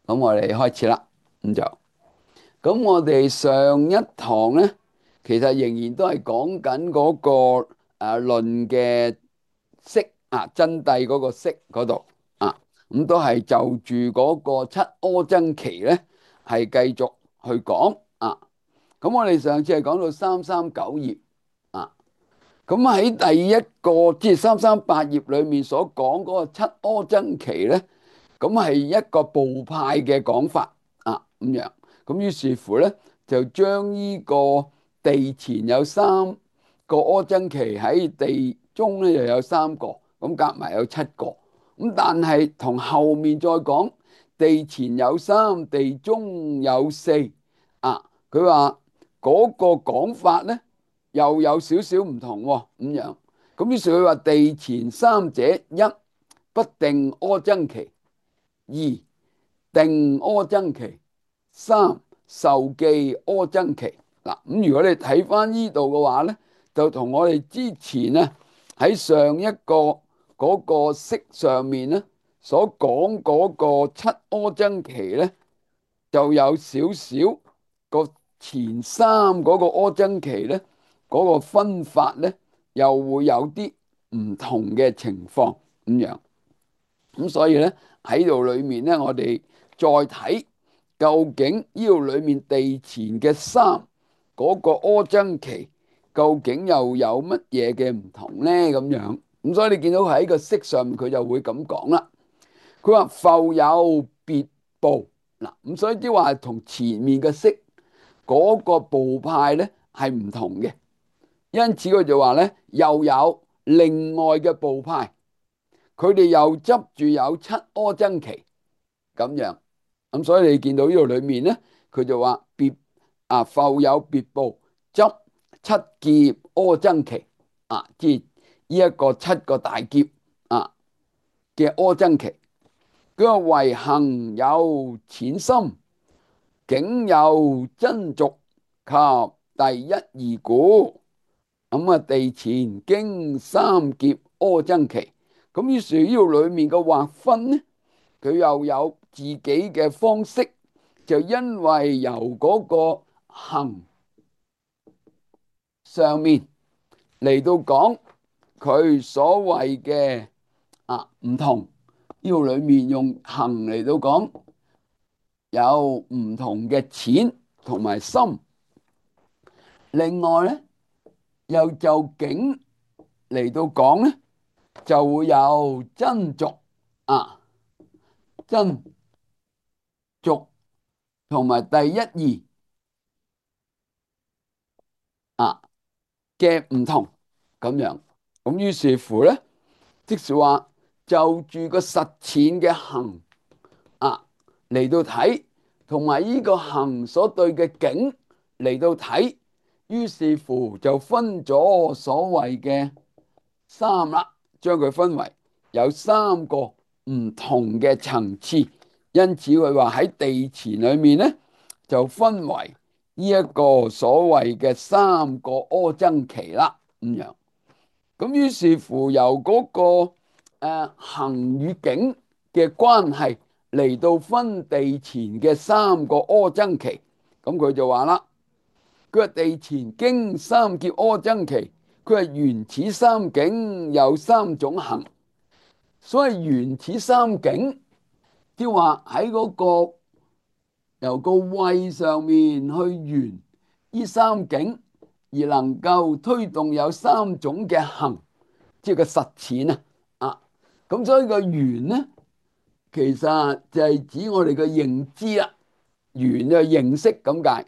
咁我哋開始啦。咁我哋上一堂呢，其實仍然都係講緊嗰個論嘅釋真諦嗰個釋嗰度啊，咁都係就住嗰個七阿僧祇呢，係繼續去講啊。咁我哋上次係講到339頁啊，咁喺第一個即係338頁裏面所講嗰個七阿僧祇呢，咁係一個部派嘅講法咁樣。咁於是乎咧，就將呢個地前有三個阿僧祇，喺地中咧又有三個，咁夾埋有七個。咁但係同後面再講地前有三，地中有四佢話嗰個講法咧又有少少唔同喎，咁樣。咁於是佢話地前三者，一不定阿僧祇，二定阿僧祇，三受記阿僧祇。嗱，咁如果你睇翻呢度嘅話咧，就同我哋之前咧喺上一個嗰個釋上面咧所講嗰個七阿僧祇咧，就有少少個前三嗰個阿僧祇咧嗰個分法咧，又會有啲唔同嘅情況咁樣。咁所以咧喺度裏面咧，我哋再睇究竟呢度裏面地前嘅三嗰個阿僧祇究竟又有乜嘢嘅唔同咧？咁樣咁，所以你見到喺個釋上面佢就會咁講啦。佢話復有別部嗱，咁所以即係話同前面嘅釋嗰個部派咧係唔同嘅，因此佢就話咧又有另外嘅部派。佢哋又執住有七阿僧祇咁樣，咁所以你見到呢度裏面咧，佢就話復有別部執七劫阿僧祇即係呢一個七個大劫嘅阿僧祇。佢話唯行有淺深，境有真俗及第一義故。咁地前經三劫阿僧祇。咁於是呢度裏面嘅劃分呢，佢又有自己嘅方式，就因為由嗰個行上面嚟到講佢所謂嘅唔同，呢度裏面用行嚟到講有唔同嘅淺同埋深。另外咧，又就境嚟到講咧，就會有真俗真俗同埋第一義嘅唔同咁樣。咁於是乎咧，即是話就住個實踐嘅行嚟到睇，同埋呢個行所對嘅境嚟到睇，於是乎就分咗所謂嘅三啦，將佢分為有三個唔同嘅層次。因此佢話喺地前裏面咧，就分為呢一個所謂嘅三個阿僧祇啦，咁樣。咁於是乎由嗰個行與境嘅關係嚟到分地前嘅三個阿僧祇。咁佢就話啦，佢話地前經三劫阿僧祇，佢係緣此三境有三種行。所謂緣此三境，即係話喺嗰個由個慧上面去緣呢三境，而能夠推動有三種嘅行，即係個實踐咁所以個緣呢，其實就係指我哋嘅認知啦。緣就係認識咁解。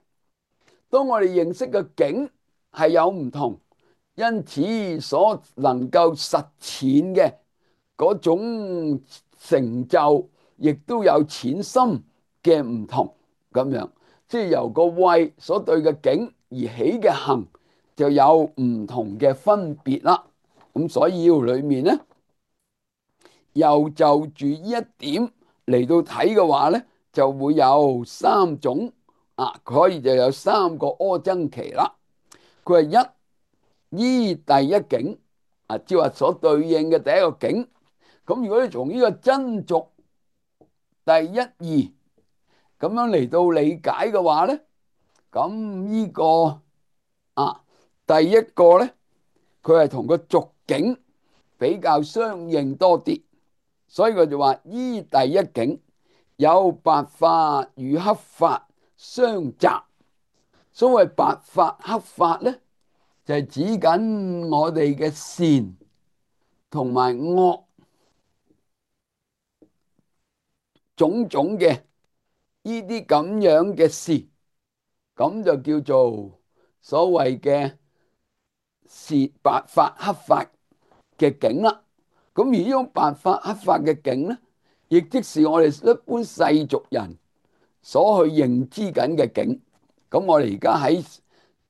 當我哋認識嘅境係有唔同，因此所能夠實踐嘅嗰種成就，亦都有淺深嘅唔同咁樣。即係由個慧所對嘅境而起嘅行，就有唔同嘅分別啦。咁所以要裏面呢，又就住呢一點嚟到睇嘅話呢，就會有三種可以就有三個阿僧祇啦。佢係依第一境即係話所對應嘅第一個境。咁如果你從呢個真俗第一義咁樣嚟到理解嘅話咧，咁呢個第一個咧，佢係同個俗境比較相應多啲，所以佢就話依第一境有白法與黑法相雜。所謂白法黑法咧，就係指緊我哋嘅善同埋惡種種嘅呢啲咁樣嘅事，咁就叫做所謂嘅是白法黑法嘅境啦。咁而呢種白法黑法嘅境咧，亦即是我哋一般世俗人所去認知緊嘅境。咁我哋而家喺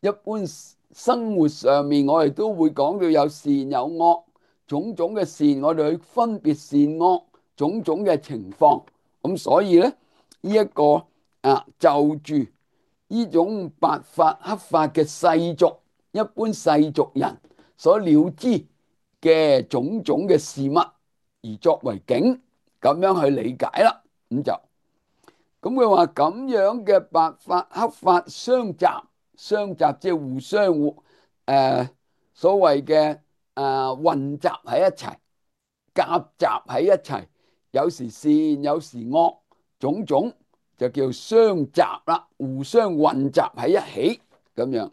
一般生活上面，我哋都會講到有善有惡，種種嘅善，我哋去分別善惡種種嘅情況。咁所以咧，呢一個就住呢種白法黑法嘅世俗，一般世俗人所了知嘅種種嘅事物，而作為境，咁樣去理解啦。咁佢話咁樣嘅白法黑法相雜，相雜即係互相所謂嘅混雜喺一齊，夾雜喺一齊，有時善有時惡，種種就叫相雜啦，互相混雜喺一起咁樣。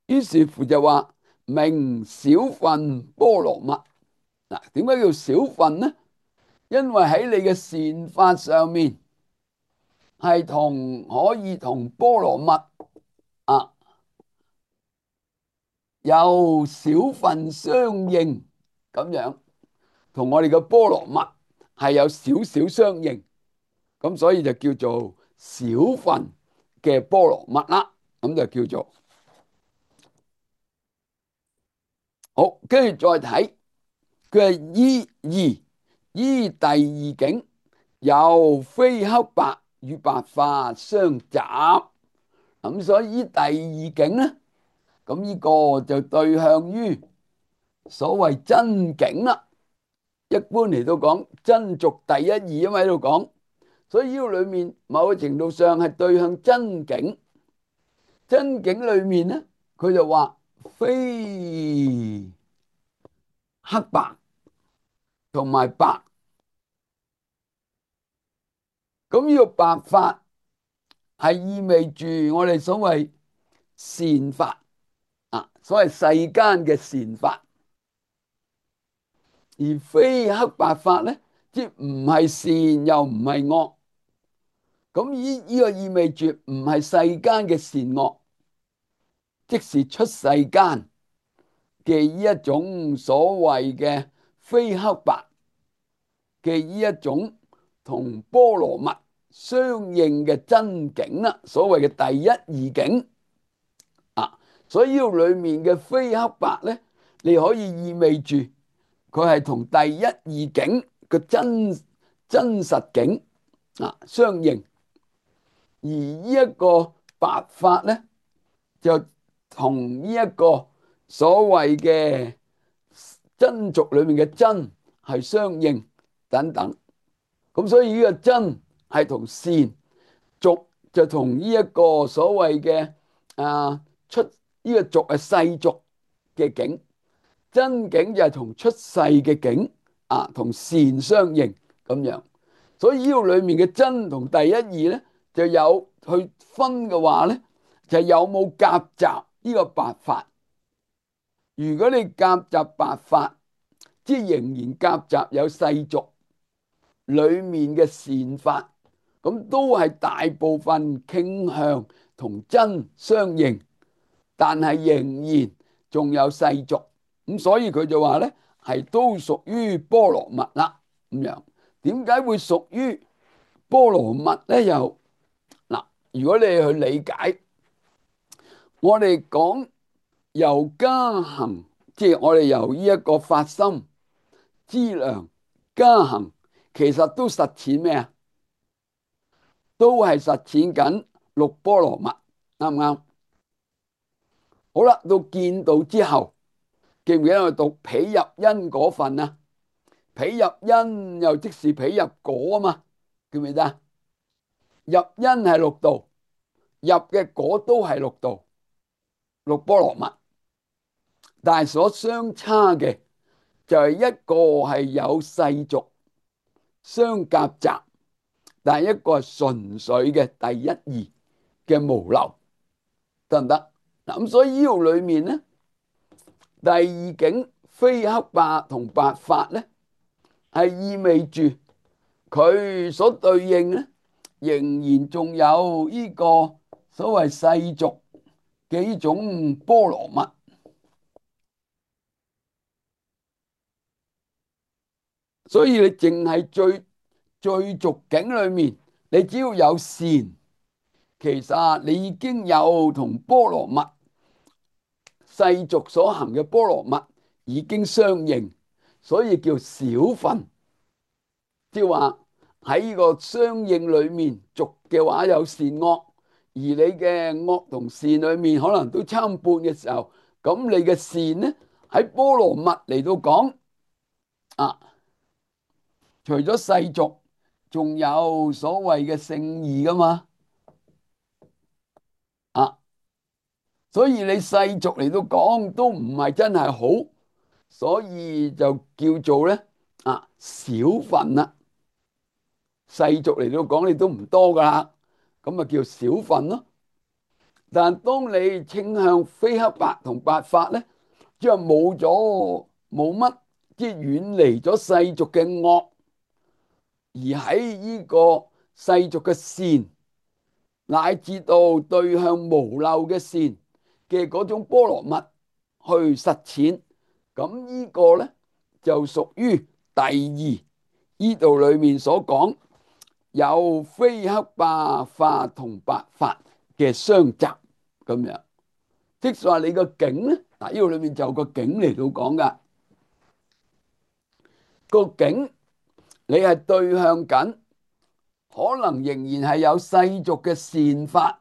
於是乎就話名小分波羅蜜。嗱，點解叫小分呢？因為喺你嘅善法上面係可以同波羅蜜有小分相應咁樣，同我哋嘅波羅蜜係有少少相應，咁所以就叫做小分嘅波羅蜜啦。咁就叫做好，跟住再睇佢係依第二境有非黑白與白法相雜。咁所以依第二境咧，咁呢個就對向於所謂真境啦。一般嚟到講真俗第一義，因為喺度講，所以呢個裏面某個程度上係對向真境。真境裏面咧，佢就話非黑白同埋白。咁呢個白法係意味住我哋所謂善法所謂世間嘅善法。而非黑白法咧，即唔係善又唔係惡。咁呢個意味住唔係世間嘅善惡，即是出世間嘅呢一種所謂嘅非黑白嘅呢一種同波羅蜜相應嘅真境啦，所謂嘅第一義境所以呢度裏面嘅非黑白咧，你可以意味住佢係同第一義境嘅真實境相應，而呢一個白法咧，就同呢一個所謂嘅真俗裏面嘅真係相應等等。咁所以呢個真係同善，俗就同呢一個所謂嘅出呢個俗係世俗嘅境，真境就係同出世嘅境同善相應咁樣。所以呢個裏面嘅真同第一義咧，就有去分嘅話咧，就有冇夾雜呢個白法。如果你夾雜白法，即係仍然夾雜有世俗裏面嘅善法，咁都係大部分傾向同真相應，但係仍然仲有世俗。咁所以佢就話咧，係都屬於波羅蜜啦。咁樣點解會屬於波羅蜜咧？又嗱，如果你去理解，我哋講由加行，即係我哋由呢一個發心資糧加行，其實都實踐咩啊？都係實踐緊六波羅蜜，啱唔啱？好啦，到見道之後，記唔記得我讀彼入因嗰份啊？彼入因又即是彼入果啊嘛。記唔記得？入因係六度，入嘅果都係六度，六波羅蜜，但係所相差嘅就係一個係有世俗相夾雜，但係一個係純粹嘅第一義嘅無漏，得唔得？嗱，咁所以呢度裏面咧，第二境非黑白同白法咧，係意味住佢所對應咧，仍然仲有呢個所謂世俗嘅呢種波羅蜜。所以你淨係最俗境裏面，你只要有善，其實你已經有同波羅蜜世俗所行嘅波羅蜜已經相應，所以叫少分。即係話喺呢個相應裏面，俗嘅話有善惡，而你嘅惡同善裏面可能都參半嘅時候，咁你嘅善呢喺波羅蜜嚟到講啊，除咗世俗，仲有所謂嘅聖義噶嘛啊，所以你世俗嚟到講都唔係真係好，所以就叫做咧啊少分啦。世俗嚟到講你都唔多噶啦，咁啊叫少分咯。但當你傾向非黑白同白法咧，即係冇乜，即係遠離咗世俗嘅惡，而喺呢個世俗嘅善，乃至到對向無漏嘅善嘅嗰種波羅蜜去實踐，咁呢個咧就屬於第二呢度裏面所講有非黑白法同白法嘅相雜咁樣。即係話你個境咧，嗱呢度裏面就有個境嚟到講噶，個境你係對向緊，可能仍然係有世俗嘅善法，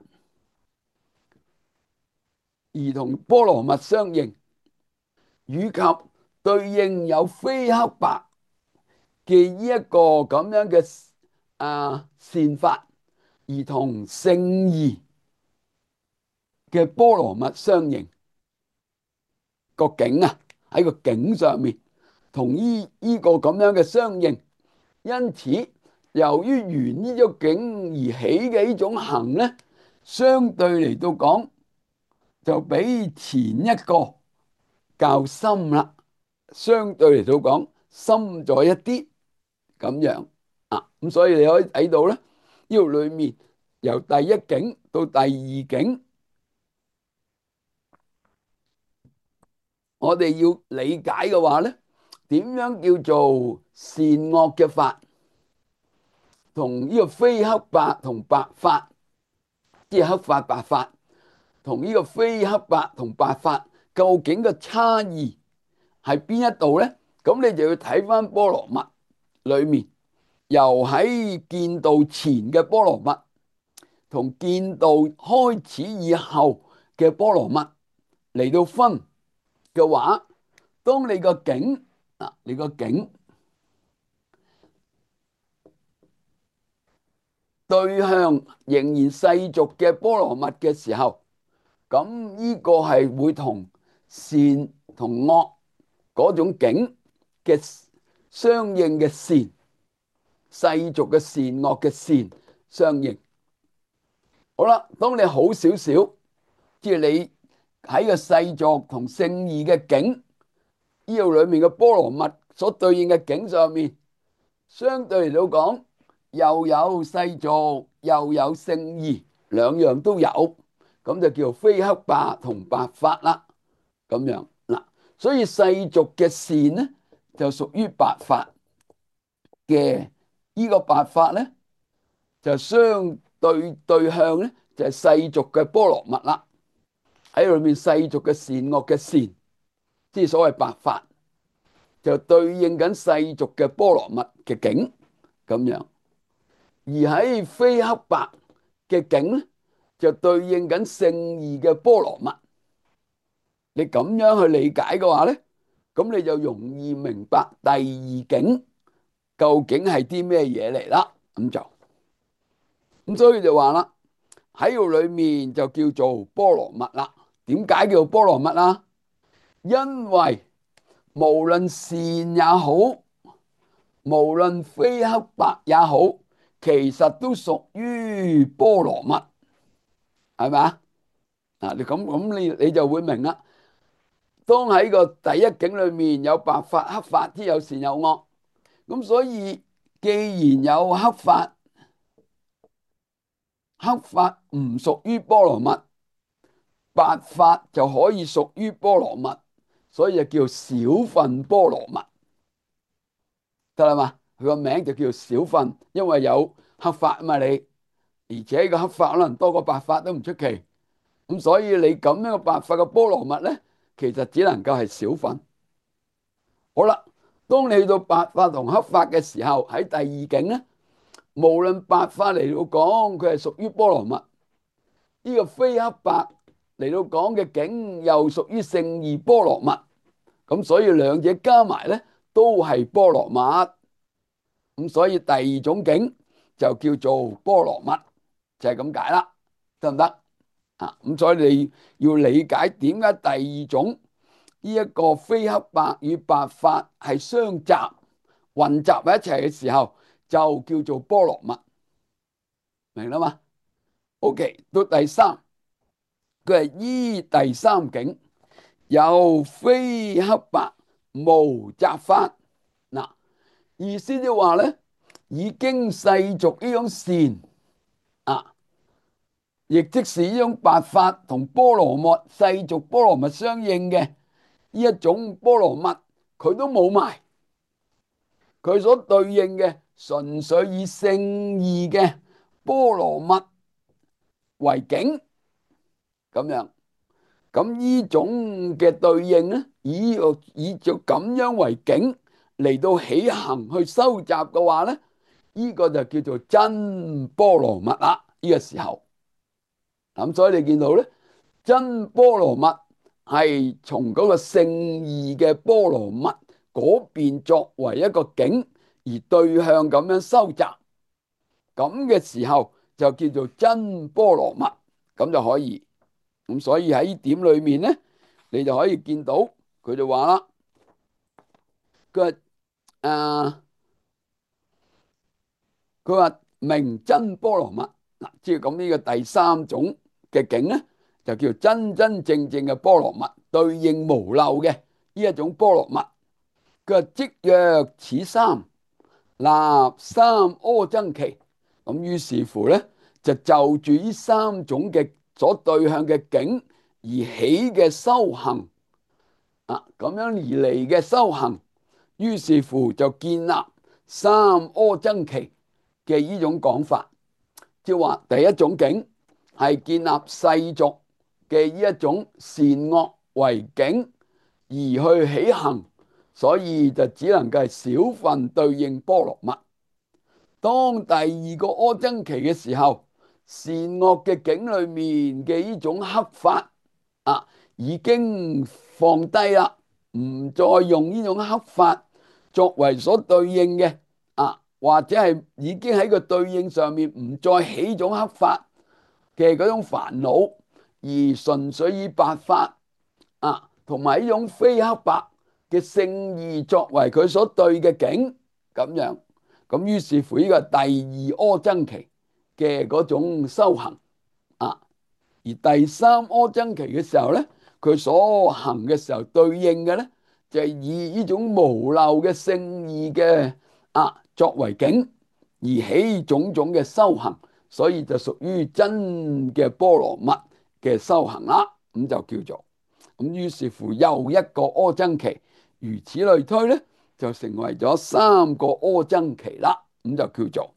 而同波羅蜜相應，以及對應有非黑白嘅呢一個咁樣嘅善法，而同聖義嘅波羅蜜相應，個境啊喺個境上面同呢個咁樣嘅相應，因此由於緣呢種境而起嘅呢種行咧，相對嚟到講就比前一個較深啦，相對嚟到講深咗一啲咁樣啊，咁所以你可以睇到咧，呢度裏面由第一境到第二境，我哋要理解嘅話咧，點樣叫做善惡嘅法，同呢個非黑白同白法，即係黑法白法，同呢個非黑白同白法，究竟個差異係邊一度咧？咁你就要睇翻波羅蜜裏面，由喺見道前嘅波羅蜜，同見道開始以後嘅波羅蜜嚟到分嘅話，當你個境啊，你個境對向仍然世俗嘅波羅蜜嘅時候，咁呢個係會同善同惡嗰種境嘅相應嘅善，世俗嘅善惡嘅善相應。好啦，當你好少少，即係你喺個世俗同聖義嘅境呢度裏面嘅波羅蜜所對應嘅境上面，相對嚟到講，又有世俗又有聖義，兩樣都有，咁就叫非黑白同白法啦。咁樣嗱，所以世俗嘅善呢，就屬於白法嘅，呢個白法呢，就相對向呢，就係世俗嘅波羅蜜啦。喺裏面世俗嘅善惡嘅善，即係所謂白法，就對應緊世俗嘅波羅蜜嘅境咁樣。而喺非黑白嘅境咧，就對應緊聖義嘅波羅蜜。你咁樣去理解嘅話咧，咁你就容易明白第二境究竟係啲咩嘢嚟啦。咁就。咁所以就話啦，喺度裏面就叫做波羅蜜啦。點解叫做波羅蜜啊？因為無論善也好，無論非黑白也好，其實都屬於波羅蜜，係咪啊？嗱，你就會明啦。當喺個第一境裏面有白法、黑法，之有善有惡，咁所以既然有黑法，黑法唔屬於波羅蜜，白法就可以屬於波羅蜜，所以就叫小分波羅蜜，得啦嘛？佢個名就叫小分，因為有黑法啊嘛你，而且個黑法可能多過白法都唔出奇，咁所以你咁樣嘅白法嘅波羅蜜咧，其實只能夠係小分。好啦，當你去到白法同黑法嘅時候，喺第二境咧，無論白法嚟到講，佢係屬於波羅蜜，呢個非黑白嚟到講嘅境又屬於聖義波羅蜜，咁所以兩者加埋咧都係波羅蜜，咁所以第二種境就叫做波羅蜜，就係咁解啦，得唔得啊？咁所以你要理解點解第二種呢一個非黑白與白法係相雜混雜喺一齊嘅時候，就叫做波羅蜜，明啦嘛？OK，到第三，佢係依第三境有非黑白無雜法。嗱，意思就話咧，已經世俗呢種善啊，亦即是呢種白法同波羅蜜世俗波羅蜜相應嘅呢一種波羅蜜，佢都冇埋。佢所對應嘅純粹以聖義嘅波羅蜜為境，咁樣，咁呢種嘅對應咧，以就咁樣為境嚟到起行去收集嘅話咧，呢個就叫做真波羅蜜啦。呢個時候，咁所以你見到咧，真波羅蜜係從嗰個聖義嘅波羅蜜嗰邊作為一個境而對向咁樣收集，咁嘅時候就叫做真波羅蜜，咁就可以。咁所以喺呢點裏面咧，你就可以見到佢就話啦，佢話佢話明真波羅蜜嗱，即係咁呢個第三種嘅境咧，就叫真真正正嘅波羅蜜，對應無漏嘅呢一種波羅蜜。佢話即若此三，立三阿僧祇，咁於是乎咧，就住呢三種嘅所對向嘅境而起嘅修行啊，咁樣而嚟嘅修行，於是乎就建立三阿僧祇嘅呢種講法，即係話第一種境係建立世俗嘅呢一種善惡為境而去起行，所以就只能夠係小分對應波羅蜜。當第二個阿僧祇嘅時候，善惡嘅境裏面嘅呢種黑法啊，已經放低啦，唔再用呢種黑法作為所對應嘅啊，或者係已經喺個對應上面唔再起種黑法嘅嗰種煩惱，而純粹以白法啊，同埋呢種非黑白嘅聖義作為佢所對嘅境，咁樣。咁於是乎呢個第二阿僧祇嘅嗰種修行啊，而第三阿僧祇嘅時候咧，佢所行嘅時候對應嘅咧，就係以呢種無漏嘅聖義嘅作為境而起種種嘅修行，所以就屬於真嘅波羅蜜嘅修行啦。咁就叫做咁，於是乎又一個阿僧祇，如此類推咧，就成為咗三個阿僧祇啦。咁就叫做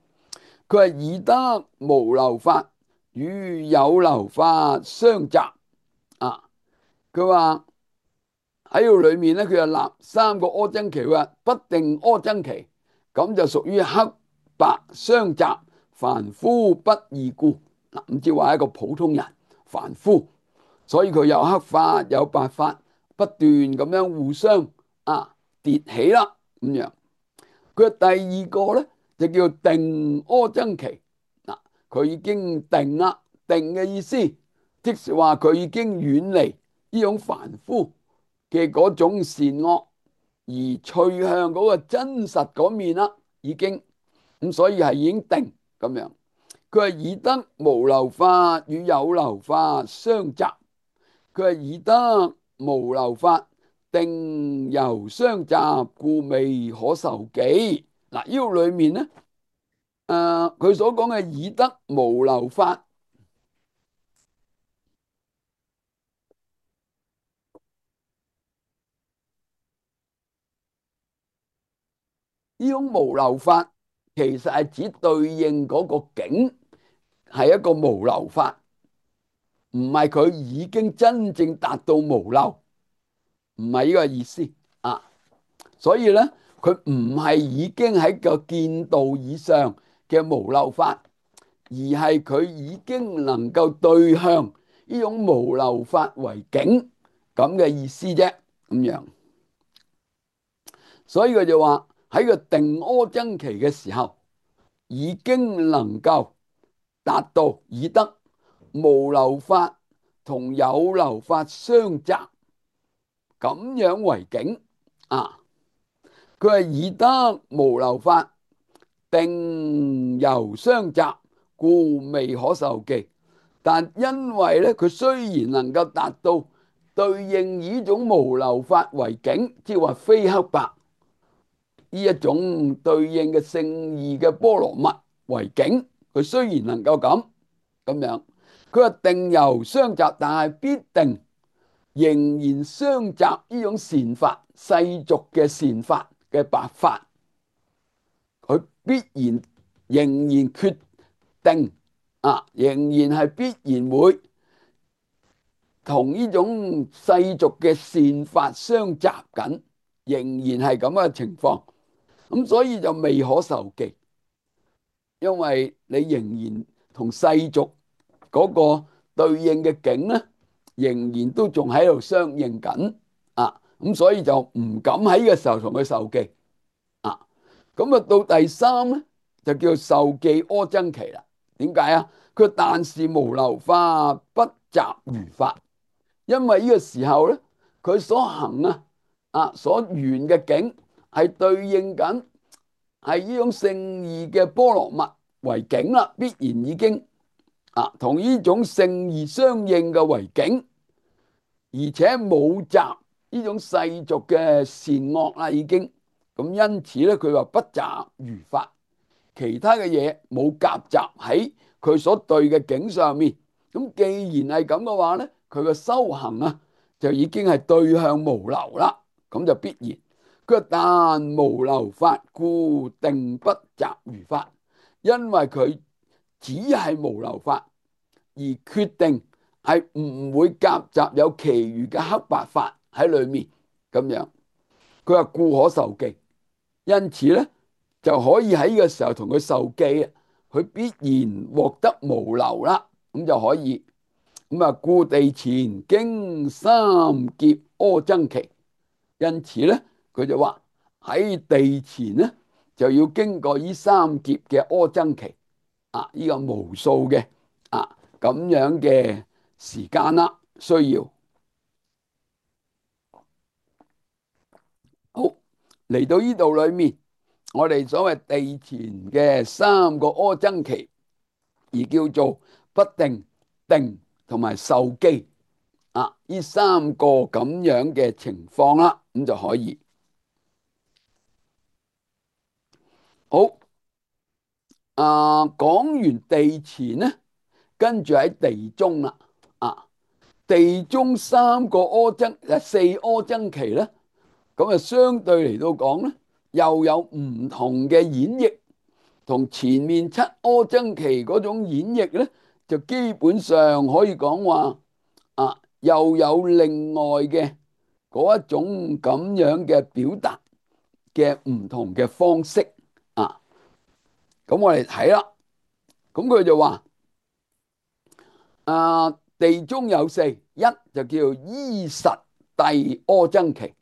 佢係以得無漏法與有漏法相雜啊。佢話喺度裏面咧，佢就立三個阿僧祇，話不定阿僧祇，咁就屬於黑白相雜，凡夫不異故。嗱，咁即係話一個普通人凡夫，所以佢有黑法有白法，不斷咁樣互相疊起啦咁樣。佢第二個咧就叫定阿僧祇，嗱，佢已經定啦。定嘅意思，即是話佢已經遠離呢種凡夫嘅嗰種善惡，而趨向嗰個真實嗰面啦，已經咁，所以係已經定咁樣。佢係以得無漏法與有漏法相雜，佢係以得無漏法定由相雜，故未可受記。嗱，呢個裏面咧，佢所講嘅以得無漏法，呢種無漏法其實係指對應嗰個境係一個無漏法，唔係佢已經真正達到無漏，唔係呢個意思啊。所以咧，佢唔係已經喺個見道以上嘅無漏法，而係佢已經能夠對向呢種無漏法為境咁嘅意思啫，咁樣。所以佢就話喺個定阿僧祇嘅時候，已經能夠達到以得無漏法同有漏法相雜咁樣為境啊。佢係以得無漏法定由相雜，故未可受記。但因為咧，佢雖然能夠達到對應呢種無漏法為境，即係話非黑白呢一種對應嘅聖義嘅波羅蜜為境，佢雖然能夠咁樣，佢話定由相雜，但係必定仍然相雜呢種善法，世俗嘅善法嘅白法，佢必然仍然決定仍然係必然會同呢種世俗嘅善法相雜緊，仍然係咁嘅情況。咁所以就未可受記，因為你仍然同世俗嗰個對應嘅境咧，仍然都仲喺度相應緊咁所以就唔敢喺呢個時候同佢受記咁到第三咧，就叫受記阿僧祇啦。點解啊？佢但是無漏法不雜餘法，因為呢個時候咧，佢所行所緣嘅境係對應緊係呢種聖義嘅波羅蜜為境啦，必然已經同呢種聖義相應嘅為境，而且冇雜呢種世俗嘅善惡啦，已經咁，因此咧，佢話不雜餘法，其他嘅嘢冇夾雜喺佢所對嘅境上面。咁既然係咁嘅話咧，佢嘅修行就已經係對向無漏啦，咁就必然。佢話但無漏法，故定不雜餘法，因為佢只係無漏法，而決定係唔會夾雜有其餘嘅黑白法喺裏面咁樣。佢話故可受記，因此咧就可以喺呢個時候同佢受記佢必然獲得無漏啦，咁就可以。咁故地前經三劫阿僧祇，因此咧佢就話喺地前咧就要經過呢三劫嘅阿僧祇呢個無數嘅咁樣嘅時間啦，需要。好，嚟到呢度裏面，我哋所謂地前嘅三個阿僧祇，而叫做不定、定同埋受記呢三個咁樣嘅情況啦，咁就可以。好講完地前咧，跟住喺地中啦地中三個四阿僧祇咧，咁相對嚟到講咧，又有唔同嘅演繹，同前面七阿僧祇嗰種演繹咧，就基本上可以講話又有另外嘅嗰一種咁樣嘅表達嘅唔同嘅方式咁我哋睇啦，咁佢就話地中有四，一就叫依實諦阿僧祇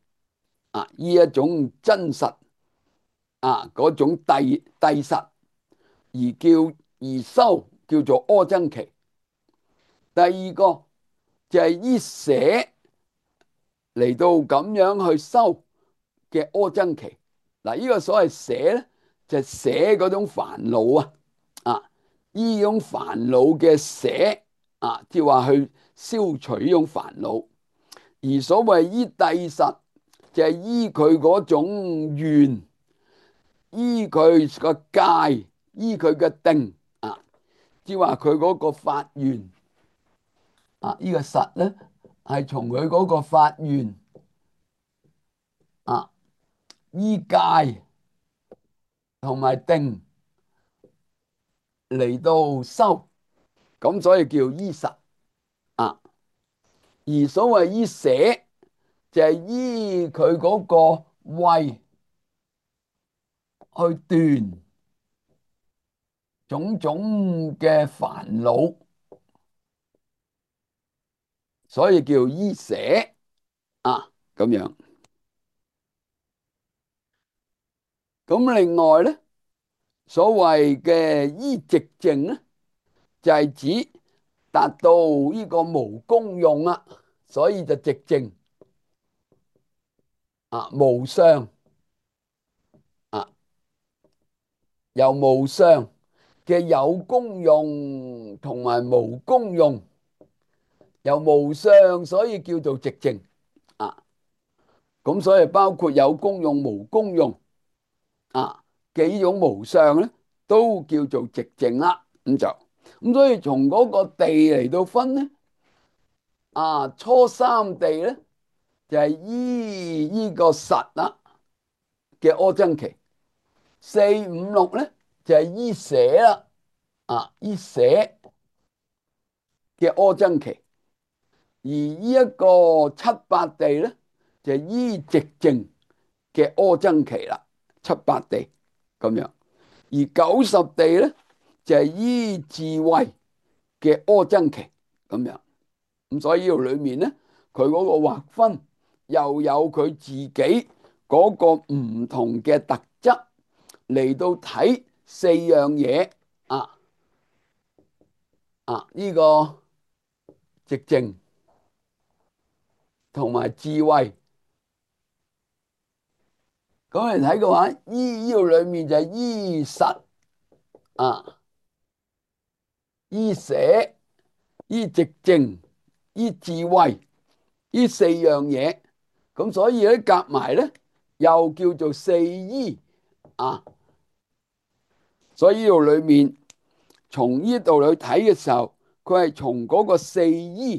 呢一種真實嗰種諦實而修叫做阿僧祇。第二個就係依捨嚟到咁樣去修嘅阿僧祇。嗱，呢個所謂捨咧，就係捨嗰種煩惱啊，啊，呢種煩惱嘅捨啊，即係話去消除呢種煩惱。而所謂依諦實，就係依佢嗰種願，依佢個戒，依佢嘅定啊，即係話佢嗰個發願啊，呢個實咧係從佢嗰個發願啊，依戒同埋定嚟到修，咁所以叫依實啊。而所謂依捨，就係依佢嗰個慧去斷種種嘅煩惱，所以叫依捨啊，咁樣。咁另外咧，所謂嘅依寂靜咧，就係指達到呢個無功用啊，所以就寂靜啊，無相啊，由無相嘅有功用同埋無功用，由無相，所以叫做寂靜啊。咁所以包括有功用、無功用啊嘅呢種無相咧，都叫做寂靜啦。咁所以從嗰個地嚟到分咧，啊初三地咧就係依呢個實啦嘅阿僧祇，四五六咧就係依捨啦，啊依捨嘅阿僧祇。而呢一個七八地咧就係依寂靜嘅阿僧祇啦，七八地咁樣。而九十地咧就係依智慧嘅阿僧祇咁樣。咁所以呢度裏面咧，佢嗰個劃分又有佢自己嗰個唔同嘅特質嚟到睇四樣嘢啊啊！呢個寂靜同埋智慧，咁嚟睇嘅話，呢度裏面就係依實啊，依捨、依寂靜、依智慧呢四樣嘢，咁所以咧夾埋咧又叫做四依啊。所以呢度裏面從呢度去睇嘅時候，佢係從嗰個四依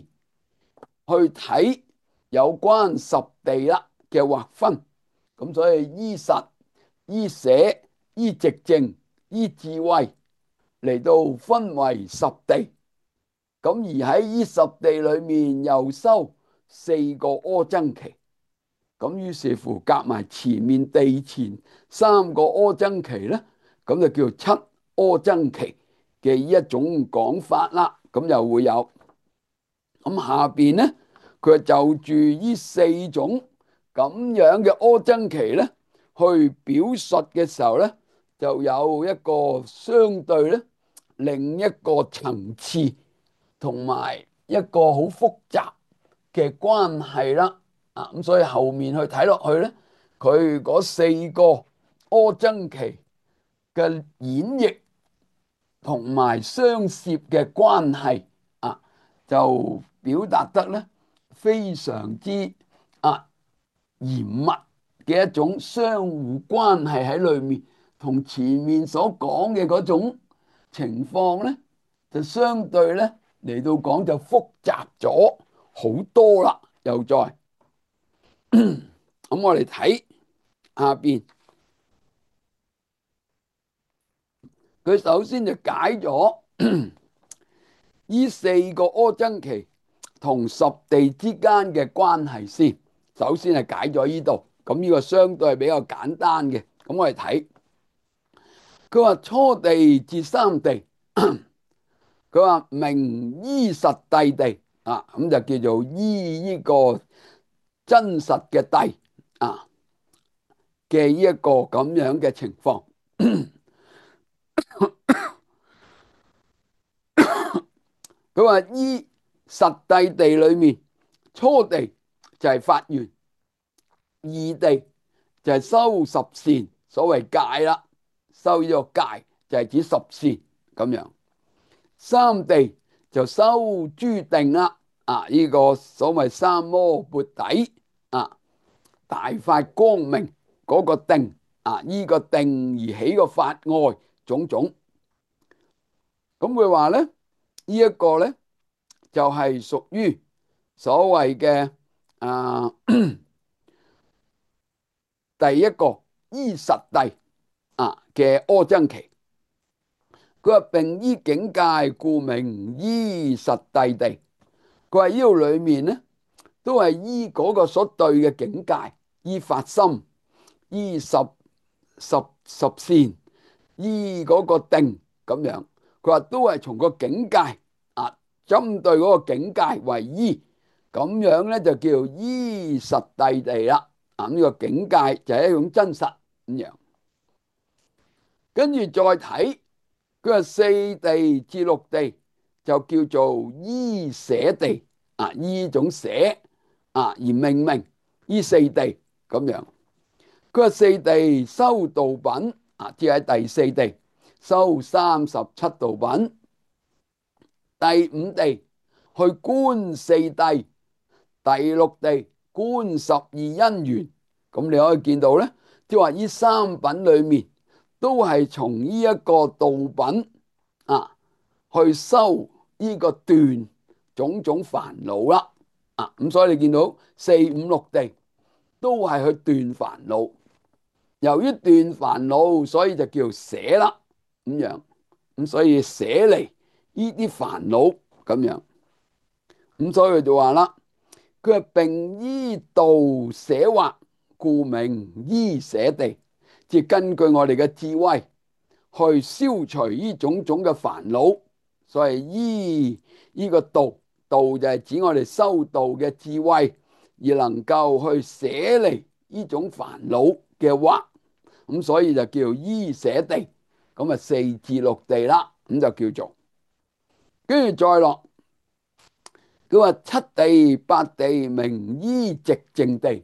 去睇有關十地啦嘅劃分。咁所以依實、依捨、依寂靜、依智慧嚟到分為十地。咁而喺依十地裏面又收四個阿僧祇。咁於是乎夾埋前面地前三個阿僧祇咧，咁就叫七阿僧祇嘅呢一種講法啦。咁又會有咁下邊咧，佢就住呢四種咁樣嘅阿僧祇咧，去表述嘅時候咧，就有一個相對咧，另一個層次同埋一個好複雜嘅關係啦。啊，咁所以後面去睇落去咧，佢嗰四個阿僧祇嘅演繹同埋相涉嘅關係啊，就表達得咧非常之啊嚴密嘅一種相互關係喺裏面，同前面所講嘅嗰種情況咧，就相對咧嚟到講就複雜咗好多啦。又再咁我哋睇下邊，佢首先就解咗呢四個阿僧祇同十地之間嘅關係先。首先係解咗呢度，咁呢個相對係比較簡單嘅。咁我哋睇，佢話初地至三地，佢話名依實諦地啊，咁就叫做依呢個真實嘅諦啊嘅呢一個咁樣嘅情況。佢話依實諦地裏面，初地就係發願，二地就係修十善，所謂戒啦，修呢個戒就係指十善咁樣。三地就修諸定啦，呢個所謂三摩缽底大發光明嗰個定呢個定而起個法愛種種。咁佢話咧，呢一個咧就係屬於所謂嘅第一個依實諦嘅阿僧祇。佢話並依境界，故名依實諦地。佢話呢度裏面咧，都係依嗰個所對嘅境界，依發心，依十善，依嗰個定咁樣。佢話都係從個境界針對嗰個境界為依，咁樣咧就叫依實諦地啦。呢個境界就係一種真實咁樣。跟住再睇，佢話四地至六地就叫做依捨地依種捨而命名依四地咁樣。佢話四地修道品即係第四地修37道品，第五地去觀四諦，第六地觀12因緣。咁你可以見到咧，即係話呢三品裏面都係從呢一個道品去修呢個斷種種煩惱啦。咁所以你見到四五六地都係去斷煩惱。由於斷煩惱，所以就叫捨啦咁樣。咁所以捨離呢啲煩惱咁樣。咁所以佢就話啦，佢係並依道捨惑，故名依捨地。即係根據我哋嘅智慧去消除呢種種嘅煩惱，所以依呢個道，道就係指我哋修道嘅智慧，而能夠去捨離呢種煩惱嘅惑。咁所以就叫依捨地。咁四至六地啦，咁就叫做。跟住再落，佢話七地八地名依寂靜地。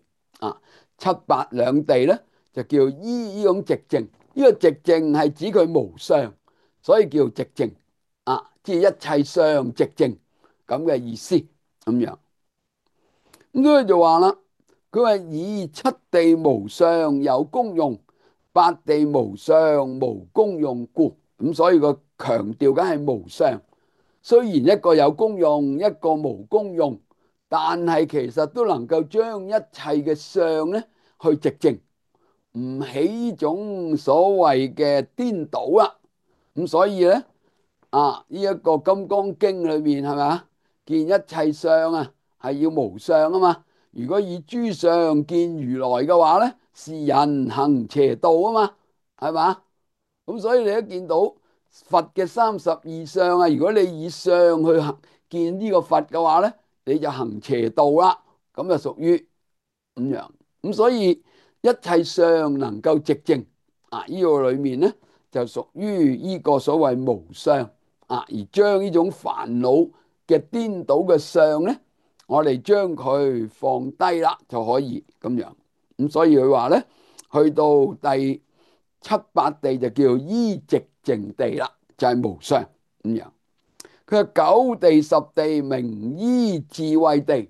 七八兩地咧就叫依呢種寂靜。呢個寂靜係指佢無相，所以叫寂靜即係一切相寂靜咁嘅意思咁樣。咁佢就話啦，佢話以七地無相有功用，八地無相無功用故。咁所以個強調緊係無相。雖然一個有功用，一個無功用，但係其實都能夠將一切嘅相咧去寂靜，唔起呢種所謂嘅顛倒啦。咁所以咧呢一個《金剛經》裏面係咪啊？見一切相係要無相啊嘛。如果以諸相見如來嘅話咧，是人行邪道啊嘛，係嘛？咁所以你一見到佛嘅32相如果你以相去見呢個佛嘅話咧，你就行邪道啦。咁就屬於咁樣。咁所以一切相能夠寂靜呢個裏面咧就屬於呢個所謂無相而將呢種煩惱嘅顛倒嘅相咧，我哋將佢放低啦就可以咁樣。咁所以佢話咧，去到第七八地就叫依寂靜地啦，就係無相咁樣。佢話九地十地名依智慧地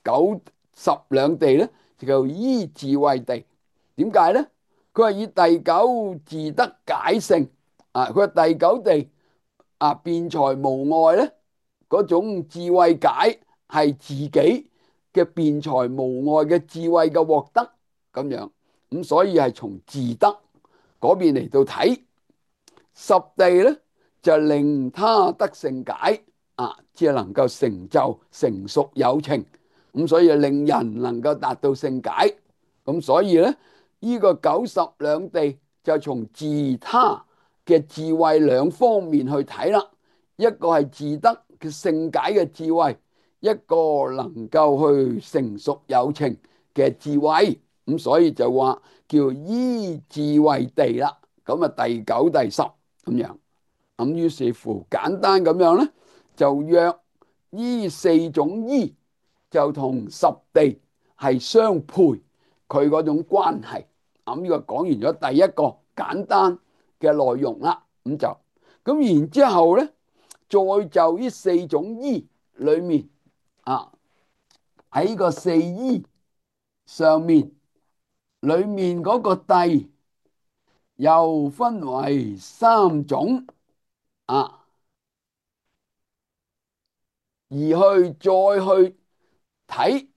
九十兩地咧就叫依智慧地。點解咧？佢話以第九自得解性佢話第九地辯才無礙咧，嗰種智慧解係自己嘅辯才無礙嘅智慧嘅獲得咁樣。咁所以係從自得嗰邊嚟到睇。十地咧就令他得勝解即係能夠成就成熟有情。咁所以令人能夠達到勝解。咁所以咧呢個九十兩地就從自他嘅智慧兩方面去睇啦。一個係自得嘅勝解嘅智慧，一個能夠去成熟有情嘅智慧。咁所以就話叫依智慧地啦。咁第九第十咁樣。咁於是乎簡單咁樣咧，就約呢四種依就同十地係相配，佢嗰種關係。咁呢個講完咗第一個簡單嘅內容啦，咁然之後咧，再就呢四種依裏面啊，喺個四依上面，裏面嗰個諦又分為三種啊，而再去睇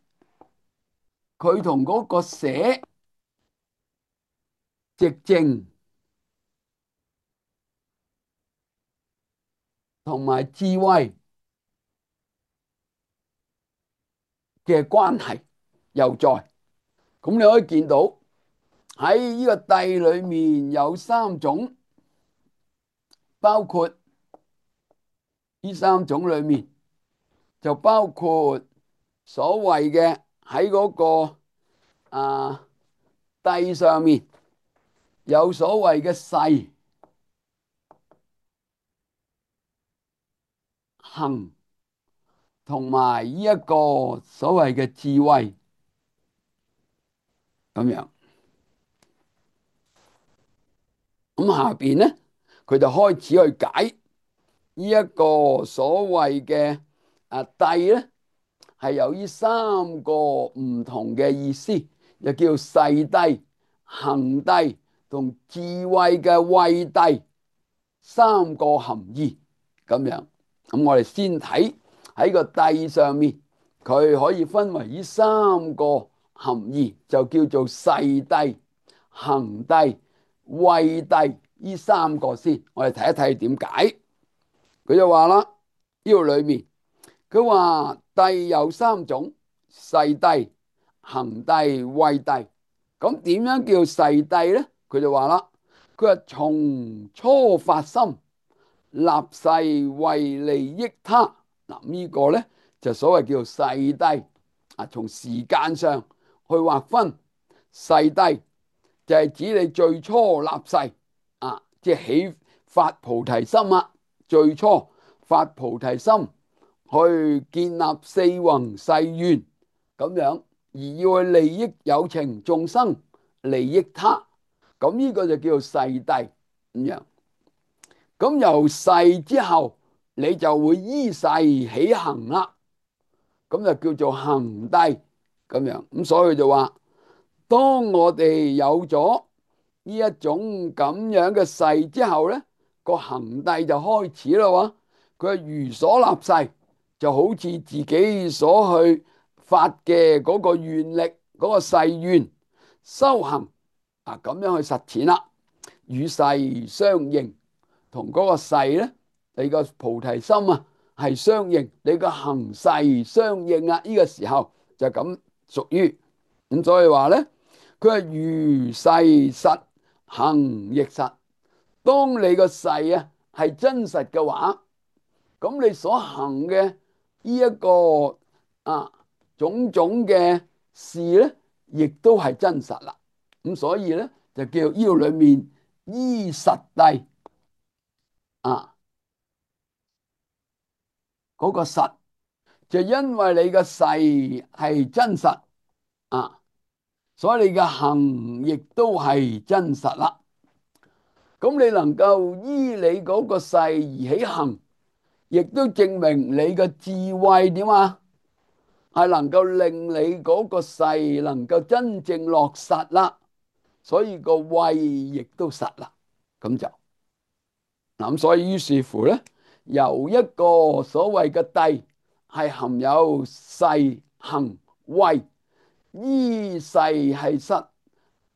佢同嗰個捨、寂靜同埋智慧嘅關係又在。咁你可以見到喺呢個諦裏面有三種，包括呢三種裏面就包括所謂嘅喺嗰個諦上面有所謂嘅誓、行同埋呢一個所謂嘅智慧咁樣。咁下邊咧，佢就開始去解呢一個所謂嘅諦咧，係有呢三個唔同嘅意思，又叫誓諦、行諦同智慧嘅慧諦三個含義咁樣。咁我哋先睇喺個諦上面，佢可以分為呢三個含義，就叫做誓諦、行諦、慧諦呢三個先。我哋睇一睇點解。佢就話啦，呢度裏面佢話諦有三種：誓諦、行諦、慧諦。咁點樣叫誓諦咧？佢就話啦，佢話從初發心，立誓為利益他。嗱，呢個咧就所謂叫做誓諦啊。從時間上去劃分，誓諦就係指你最初立誓啊，即係起發菩提心啊。最初發菩提心去建立四弘誓願咁樣，而要去利益有情眾生，利益他，咁呢個就叫做誓諦咁樣。咁由誓之後，你就會依誓起行啦，咁就叫做行諦咁樣。咁所以就話，當我哋有咗呢一種咁樣嘅誓之後咧，個行諦就開始啦喎。佢係如所立誓，就好似自己所去發嘅嗰個願力、嗰個誓願修行啊，咁樣去實踐啦，與誓相應。同嗰個誓咧，你個菩提心啊係相應，你個行誓相應啊，呢個時候就咁屬於咁。所以話咧，佢係如誓實，行亦實。當你個誓啊係真實嘅話，咁你所行嘅呢一個種種嘅事咧，亦都係真實啦。咁所以咧就叫呢度裏面依實諦嗰個實，就因為你嘅誓係真實所以你嘅行亦都係真實啦。咁你能夠依你嗰個誓而起行，亦都證明你嘅智慧點啊？係能夠令你嗰個誓能夠真正落實啦。所以個慧亦都實啦。咁就咁，所以於是乎咧，由一個所謂嘅諦係含有誓、行、慧，依誓係實，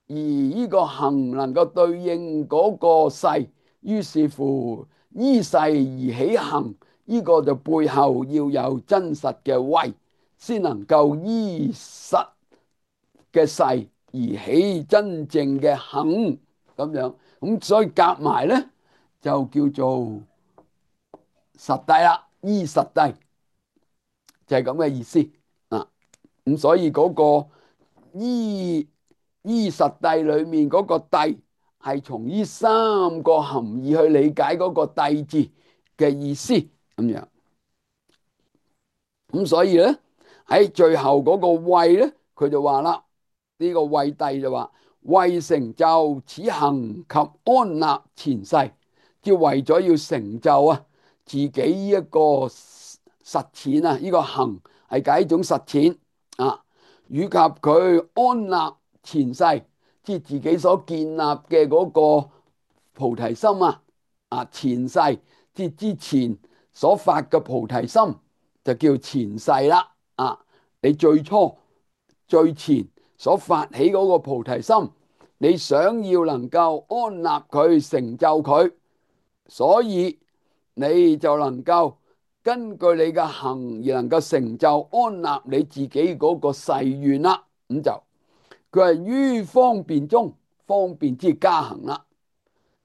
而呢個行能夠對應嗰個誓，於是乎依誓而起行，呢個就背後要有真實嘅慧，先能夠依實嘅誓而起真正嘅行咁樣。咁所以夾埋咧就叫做實諦啦，依實諦就係咁嘅意思啊。咁所以嗰個依實諦裏面嗰個諦係從呢三個含義去理解嗰個諦字嘅意思咁樣。咁所以咧喺最後嗰個慧咧，佢就話啦，呢個慧帝就話為成就此行及安立前世，即係為咗要成就啊自己呢一個實踐啊，呢個行係解一種實踐啊，以及佢安立前世，即係自己所建立嘅嗰個菩提心啊前世即係之前所發嘅菩提心就叫前世啦啊！你最初最前所發起嗰個菩提心，你想要能夠安立佢成就佢，所以你就能夠根據你嘅行而能夠成就安立你自己嗰個誓願啦。咁就佢係於方便中，方便之加行啦。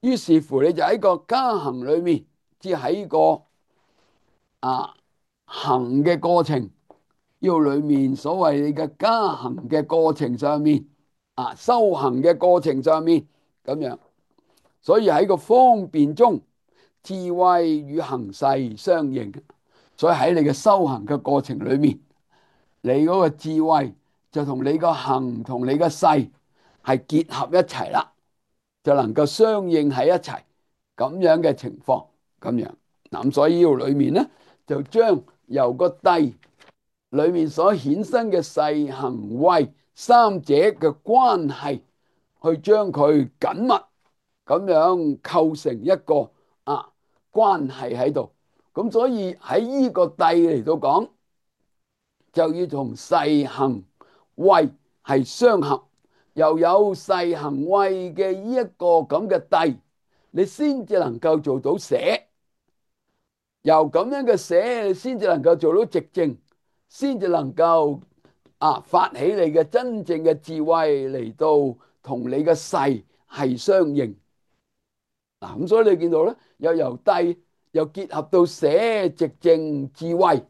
於是乎你就喺個加行裏面，即喺個行嘅過程，呢個裏面所謂你嘅加行嘅過程上面，修行嘅過程上面咁樣，所以喺個方便中，智慧與行勢相應。所以喺你嘅修行嘅過程裏面，你嗰個智慧就同你個行同你嘅勢係結合一齊啦，就能夠相應喺一齊咁樣嘅情況咁樣。咁所以呢度裏面咧，就將由個諦裏面所衍生嘅勢行慧三者嘅關係，去將佢緊密咁樣構成一個關係喺度。咁所以喺呢個諦嚟到講，就要同勢行慧係相合，又有勢行慧嘅呢一個咁嘅諦，你先至能夠做到捨。由咁樣嘅捨，你先至能夠做到寂靜，先至能夠發起你嘅真正嘅智慧嚟到同你嘅勢係相應。咁所以你見到咧，又由諦又結合到捨寂靜智慧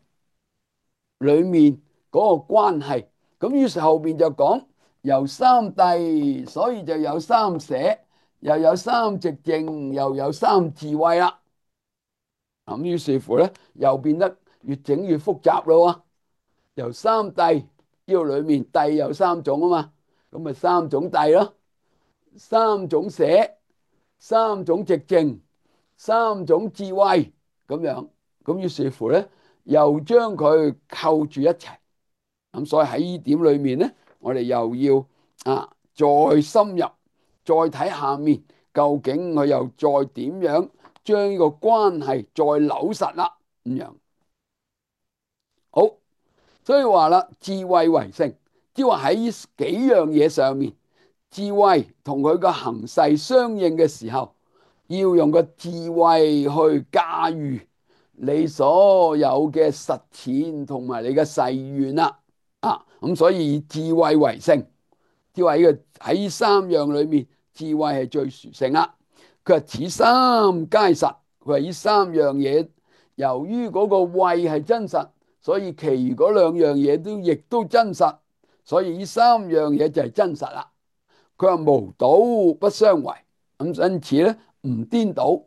裏面嗰個關係。咁於是後邊就講由三諦，所以就有三捨，又有三寂靜，又有三智慧啦。咁於是乎咧，又變得越整越複雜咯。由三諦呢個裏面，諦有三種啊嘛，咁咪三種諦咯，三種捨，三種寂靜，三種智慧咁樣。咁於是乎咧，又將佢扣住一齊。咁所以喺呢點裏面咧，我哋又要再深入，再睇下面究竟佢又再點樣將呢個關係再扭實啦咁樣。好，所以話啦，智慧為性，即係話喺呢幾樣嘢上面，智慧同佢個行勢相應嘅時候，要用個智慧去駕馭你所有嘅實踐同埋你嘅誓願啦。咁所以以智慧為性，即係話呢個喺呢三樣裏面，智慧係最殊勝啦。佢話此三皆實，佢話呢三樣嘢，由於嗰個慧係真實，所以其餘嗰兩樣嘢都亦都真實，所以呢三樣嘢就係真實啦。佢話無倒不相違，咁因此咧唔顛倒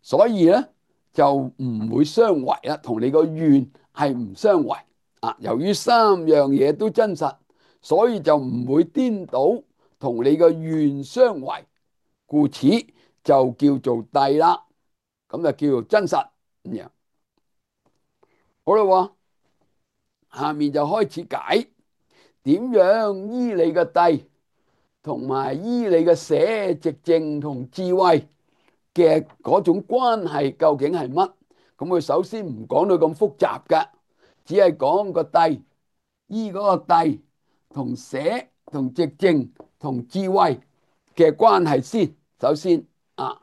所以咧就唔會相違啦，同你個願係唔相違。由於三樣嘢都真實，所以就唔會顛倒同你個願相違，故此就叫做諦啦。咁就叫做真實咁樣。好啦，下面就開始解點樣依你嘅諦同埋依你嘅捨寂靜同智慧嘅嗰種關係究竟係乜？咁佢首先唔講到咁複雜嘅，只係講個諦，依嗰個諦同捨同寂靜同智慧嘅關係先。首先咁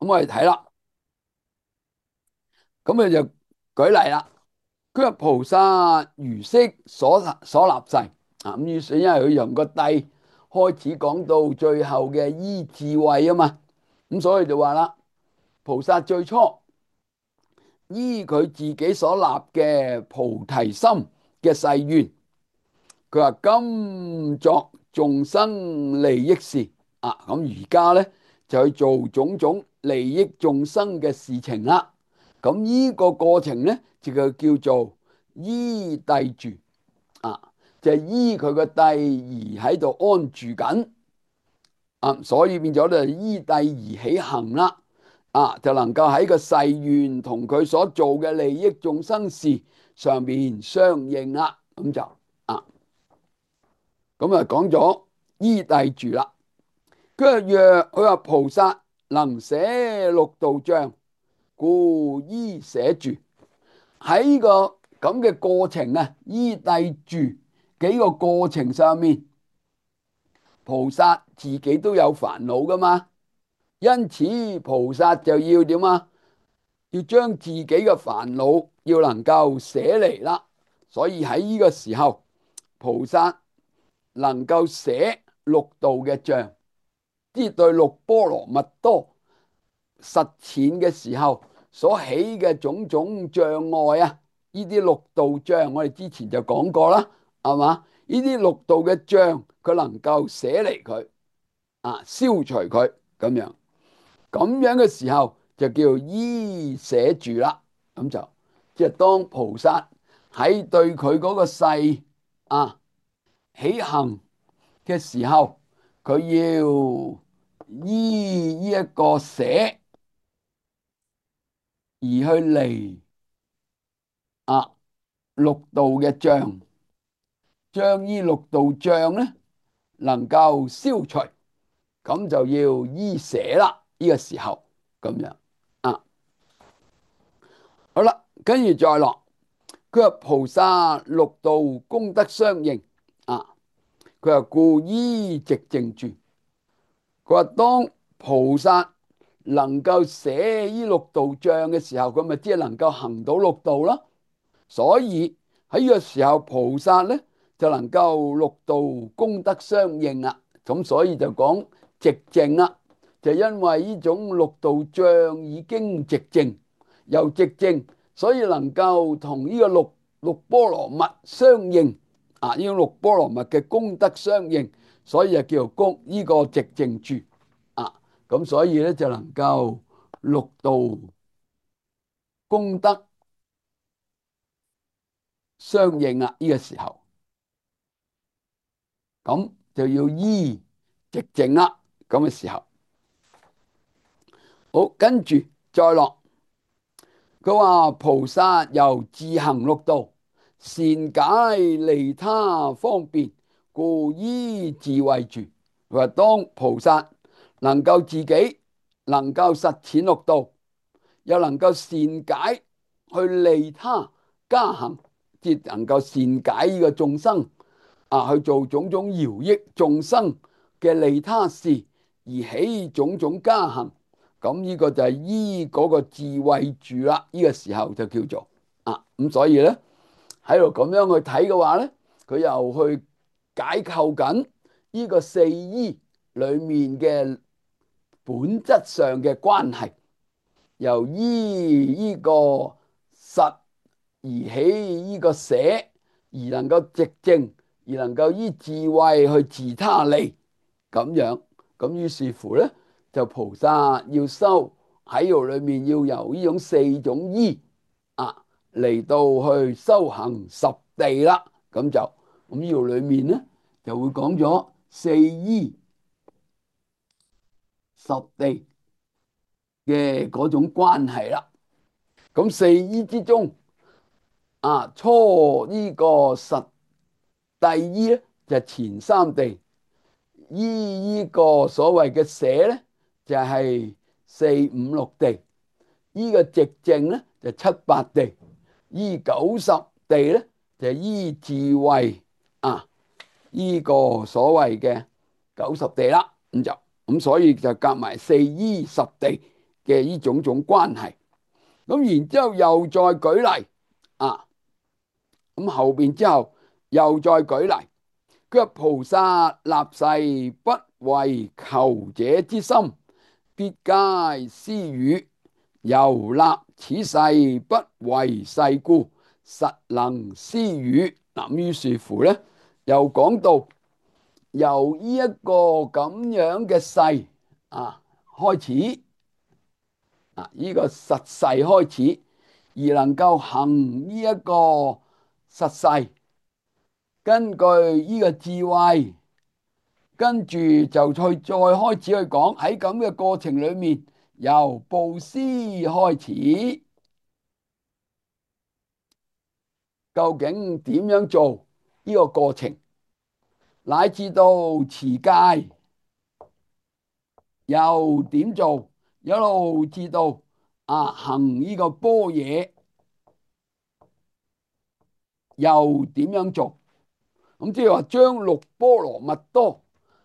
我哋睇啦，咁佢就舉例啦。佢話菩薩如昔所立誓咁於是因為佢由個諦開始講到最後嘅依智慧啊嘛，咁所以就話啦，菩薩最初依佢自己所立嘅菩提心嘅誓願，佢話今作眾生利益事咁而家咧就去做種種利益眾生嘅事情啦。咁呢個過程呢，就叫做依諦住啊，就係依佢個諦而喺度安住緊啊，所以變咗咧依諦而起行啦。啊，就能夠喺個誓願同佢所做嘅利益眾生事上邊相應啦。咁就啊，咁啊講咗依諦住啦。佢話菩薩能捨六道障，故依捨住。喺呢個咁嘅過程啊，依諦住幾個過程上面，菩薩自己都有煩惱噶嘛，因此菩薩就要點啊？要將自己嘅煩惱要能夠捨離啦。所以喺呢個時候，菩薩能夠捨六道嘅障，即係對六波羅蜜多實踐嘅時候所起嘅種種障礙啊，呢啲六道障我哋之前就講過啦，係嘛？呢啲六道嘅障佢能夠捨離佢啊，消除佢咁樣嘅時候就叫依捨住啦。咁就即係當菩薩喺對佢嗰個誓啊起行嘅時候，佢要依呢一個捨而去離啊六道嘅障，將呢六道障咧能夠消除，咁就要依捨啦。呢個時候咁樣啊，好啦，跟住再落，佢話菩薩六道功德相應啊，佢話故依寂靜住。佢話當菩薩能夠捨呢六道障嘅時候，佢咪即係能夠行到六道咯。所以喺呢個時候，菩薩咧就能夠六道功德相應啦。咁所以就講寂靜啦，就因為呢種六道障已經寂靜，又寂靜，所以能夠同呢個六波羅蜜相應啊！呢種六波羅蜜嘅功德相應，所以就叫做功呢個寂靜住啊。咁所以咧就能夠六道功德相應啦。呢個時候咁就要依寂靜啦。咁嘅時候，好，跟住再落。佢話菩薩由自行六道，善解利他方便，故依智慧住。佢話當菩薩能夠自己能夠實踐六道，又能夠善解去利他加行，即能夠善解呢個眾生啊，去做種種饒益眾生嘅利他事，而起種種加行。咁呢個就係依嗰個智慧住啦。呢個時候就叫做啊，咁所以咧喺度咁樣去睇嘅話咧，佢又去解構緊呢個四依裏面嘅本質上嘅關係，由依呢個實而起呢個捨，而能夠寂靜，而能夠依智慧去自他利咁樣。咁於是乎咧，就菩薩要修喺度裏面，要由呢種四種依啊嚟到去修行十地啦。咁就咁呢度裏面咧就會講咗四依十地嘅嗰種關係啦。咁四依之中啊，初呢個實第依咧就係前三地，依呢個所謂嘅捨咧就係四五六地，依個寂靜咧就七八地，依九十地咧就依智慧啊，呢個所謂嘅九十地啦。咁所以就夾埋四依十地嘅呢種種關係。咁然之後又再舉例啊，咁後邊之後又再舉例，佢話菩薩立誓不為求者之心，必皆施與，由立此誓不為世故，實能施與。嗱，於是乎咧，又講到由呢一個咁樣嘅誓啊，開始，呢個實誓開始，而能夠行呢一個實誓，根據呢個智慧，跟住就再開始去講喺咁嘅過程裏面，由布施開始，究竟點樣做呢個過程，乃至到持戒又點做，一路至到行呢個般若又點樣做？咁即係話將六波羅蜜多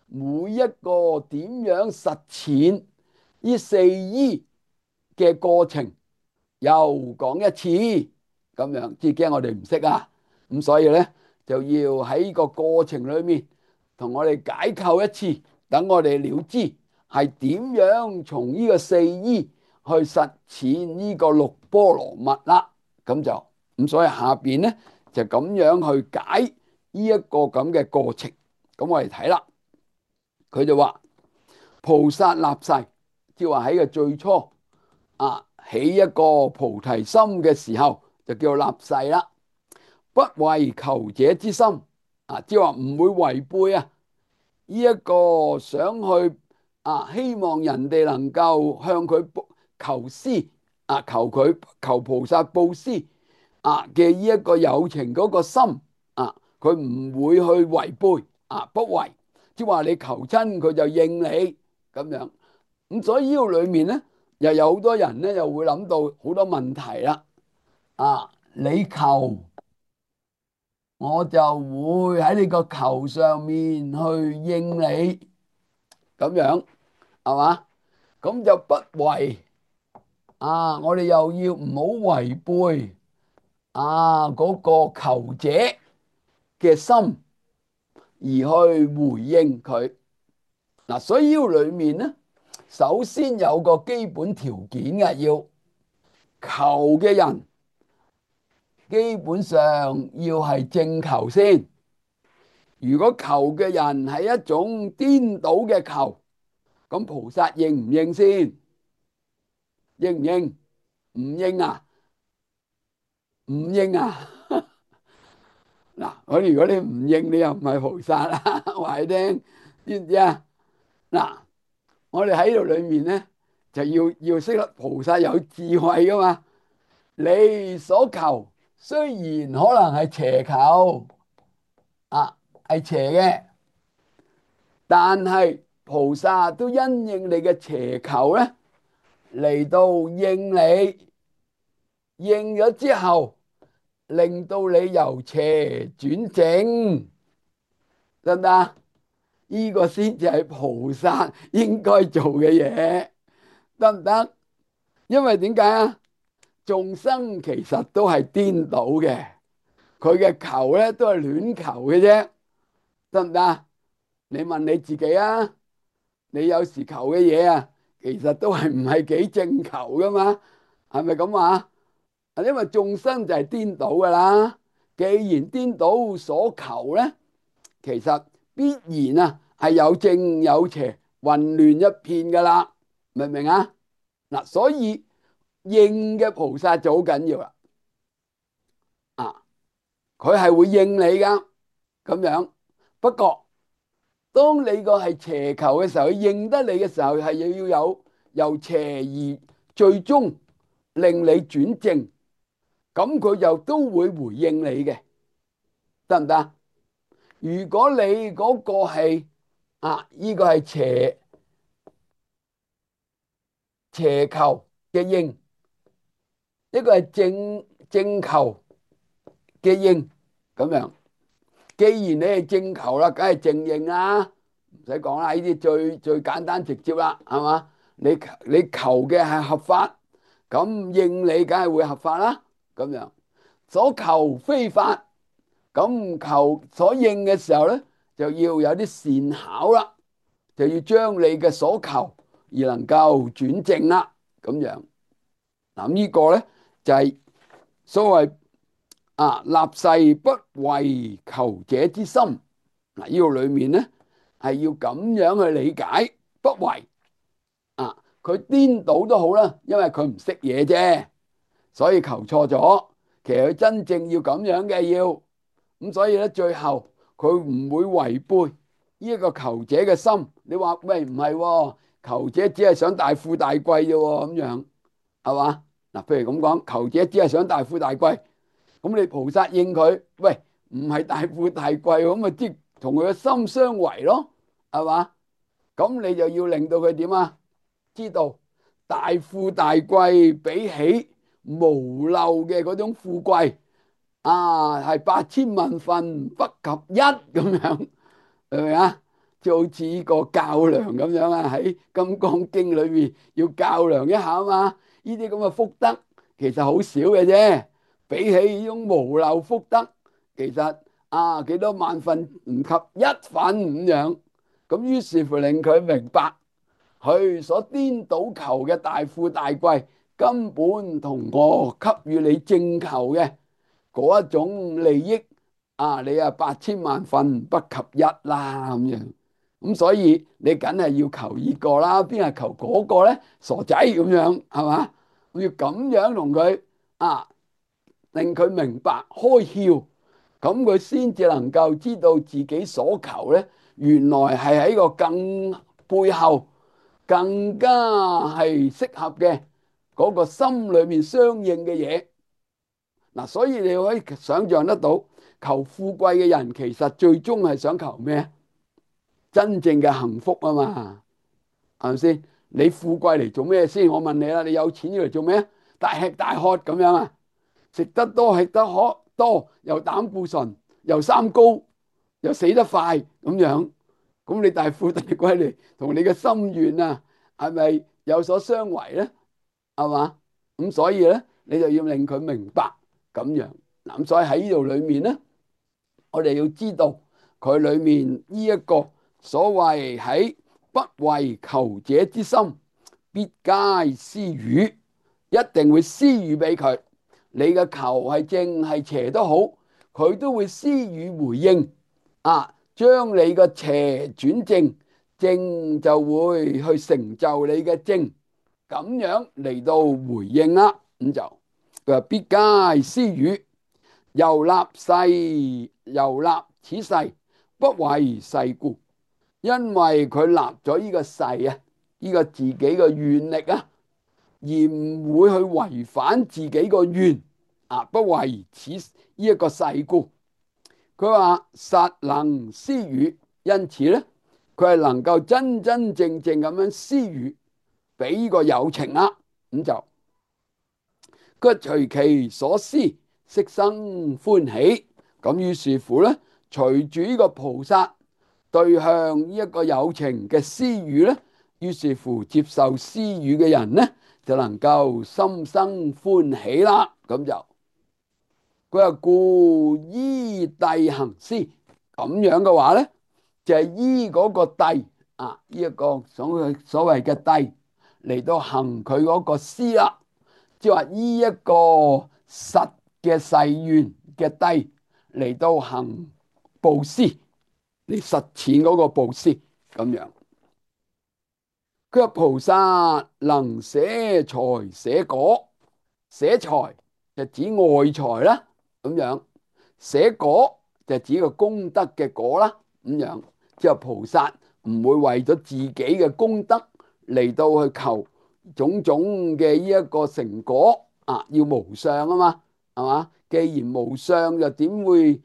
每一個點樣實踐呢四依嘅過程又講一次，咁樣即係驚我哋唔識啊！咁所以呢，就要喺個過程裏面同我哋解構一次，等我哋了知係點樣從呢個四依去實踐呢個六波羅蜜啦。咁所以下邊呢，就咁樣去解呢一個咁嘅過程。咁我哋睇啦，佢就話菩薩立誓，即係話喺個最初起一個菩提心嘅時候，就叫立誓啦。不違求者之心，即係話唔會違背呢一個想去希望人哋能夠向佢求施求菩薩布施嘅呢一個有情嗰個心佢唔會去違背不違，即係話你求親佢就應你咁樣。咁所以呢個裏面咧，又有好多人咧，又會諗到好多問題啦。你求我就會喺你個求上面去應你，咁樣係嘛？咁就不違我哋又要唔好違背嗰個求者嘅心而去回應佢。所以呢個裏面咧，首先有個基本條件嘅，要求嘅人基本上要係正求先。如果求嘅人係一種顛倒嘅求，咁菩薩應唔應先？應唔應？唔應啊？唔應啊？我如果你唔應，你又唔係菩薩啦。話你聽，知唔知啊？我哋喺度裏面咧，就要識得菩薩有智慧噶嘛。你所求雖然可能係邪求係邪嘅，但係菩薩都因應你嘅邪求咧，嚟到應你，應咗之後，令到你由邪轉正，得唔得？呢個先至係菩薩應該做嘅嘢，得唔得？因為點解啊？眾生其實都係顛倒嘅，佢嘅求咧都係亂求嘅啫，得唔得？你問你自己啊，你有時求嘅嘢其實都係唔係幾正求噶嘛？係咪咁話？因為眾生就係顛倒噶啦。既然顛倒所求咧，其實必然係有正有邪，混亂一片噶啦，明唔明啊？所以應嘅菩薩就好緊要啦。佢係會應你噶咁樣。不過當你個係邪求嘅時候，佢應得你嘅時候，係要有由邪而最終令你轉正，咁佢就都會回應你嘅，得唔得？如果你嗰個係呢個係邪求嘅應，一個係正求嘅應，咁樣。既然你係正求啦，梗係正應啦，唔使講啦，呢啲最簡單直接啦，係嘛？你求嘅係合法，咁應你梗係會合法啦，咁樣。所求非法，咁求所應嘅時候咧，就要有啲善巧啦，就要將你嘅所求而能夠轉正啦，咁樣。呢個咧就係所謂立誓不違求者之心。呢個裏面咧係要咁樣去理解不違佢顛倒都好啦，因為佢唔識嘢啫，所以求錯咗。其實佢真正要咁樣嘅要，咁所以咧最後佢唔會違背呢一個求者嘅心。你話喂唔係喎，求者只係想大富大貴啫喎，咁樣係嘛？嗱，譬如咁講，求者只係想大富大貴，咁你菩薩應佢，喂唔係大富大貴，咁咪即同佢嘅心相違咯，係嘛？咁你就要令到佢點啊？知道大富大貴比起無漏嘅嗰種富貴啊，係百千萬分不及一咁樣，係咪啊？就好似呢個較量咁樣啊，喺《金剛經》裏面要較量一下啊嘛。呢啲咁嘅福德其實好少嘅啫，比起呢種無漏福德，其實啊幾多萬分唔及一分咁樣。咁於是乎令佢明白，佢所顛倒求嘅大富大貴，根本同我給予你正求嘅嗰一種利益啊，你啊百千萬分不及一啦咁樣。咁所以你梗係要求呢個啦，邊係求嗰個咧？傻仔咁樣係嘛？我要咁樣同佢啊，令佢明白開竅，咁佢先至能夠知道自己所求咧，原來係喺個更背後更加係適合嘅嗰個心裏面相應嘅嘢。嗱，所以你可以想象得到，求富貴嘅人其實最終係想求咩？真正嘅幸福啊嘛，係咪先？你富貴嚟做咩先？我問你啦，你有錢要嚟做咩？大吃大喝咁樣啊？食得多吃得可多，又膽固醇，又三高，又死得快咁樣，咁你大富大貴嚟，同你嘅心願啊，係咪有所相違咧？係嘛？咁所以咧，你就要令佢明白咁樣。嗱，咁所以喺呢度裏面咧，我哋要知道佢裏面呢一個所謂喺不為求者之心，必皆施予，一定會施予俾佢。你嘅求係正係邪都好，佢都會施予回應啊，將你嘅邪轉正，正就會去成就你嘅正，咁樣嚟到回應啦。咁就佢話必皆施予，由立誓，由立此誓，不為誓故。因為佢立咗呢個誓啊，呢個自己嘅願力啊，而唔會去違反自己個願啊，不為此呢一個誓故。佢話實能施予，因此咧，佢係能夠真真正正咁樣施予俾呢個有情啦。咁就佢隨其所施，悉生歡喜。咁於是乎咧，隨住呢個菩薩對向呢一個有情嘅施予咧，於是乎接受施予嘅人咧，就能夠心生歡喜啦。咁就佢話故依諦行施，咁樣嘅話咧，就係依嗰個諦啊，呢一個所謂嘅諦嚟到行佢嗰個施啦，即係話依一個實嘅誓願嘅諦嚟到行布施，嚟實踐嗰個布施咁樣。佢話菩薩能捨財捨果，捨財就指外財啦，咁樣捨果就指個功德嘅果啦，咁樣即係菩薩唔會為咗自己嘅功德嚟到去求種種嘅呢一個成果啊，要無相啊嘛，係嘛？既然無相，就點會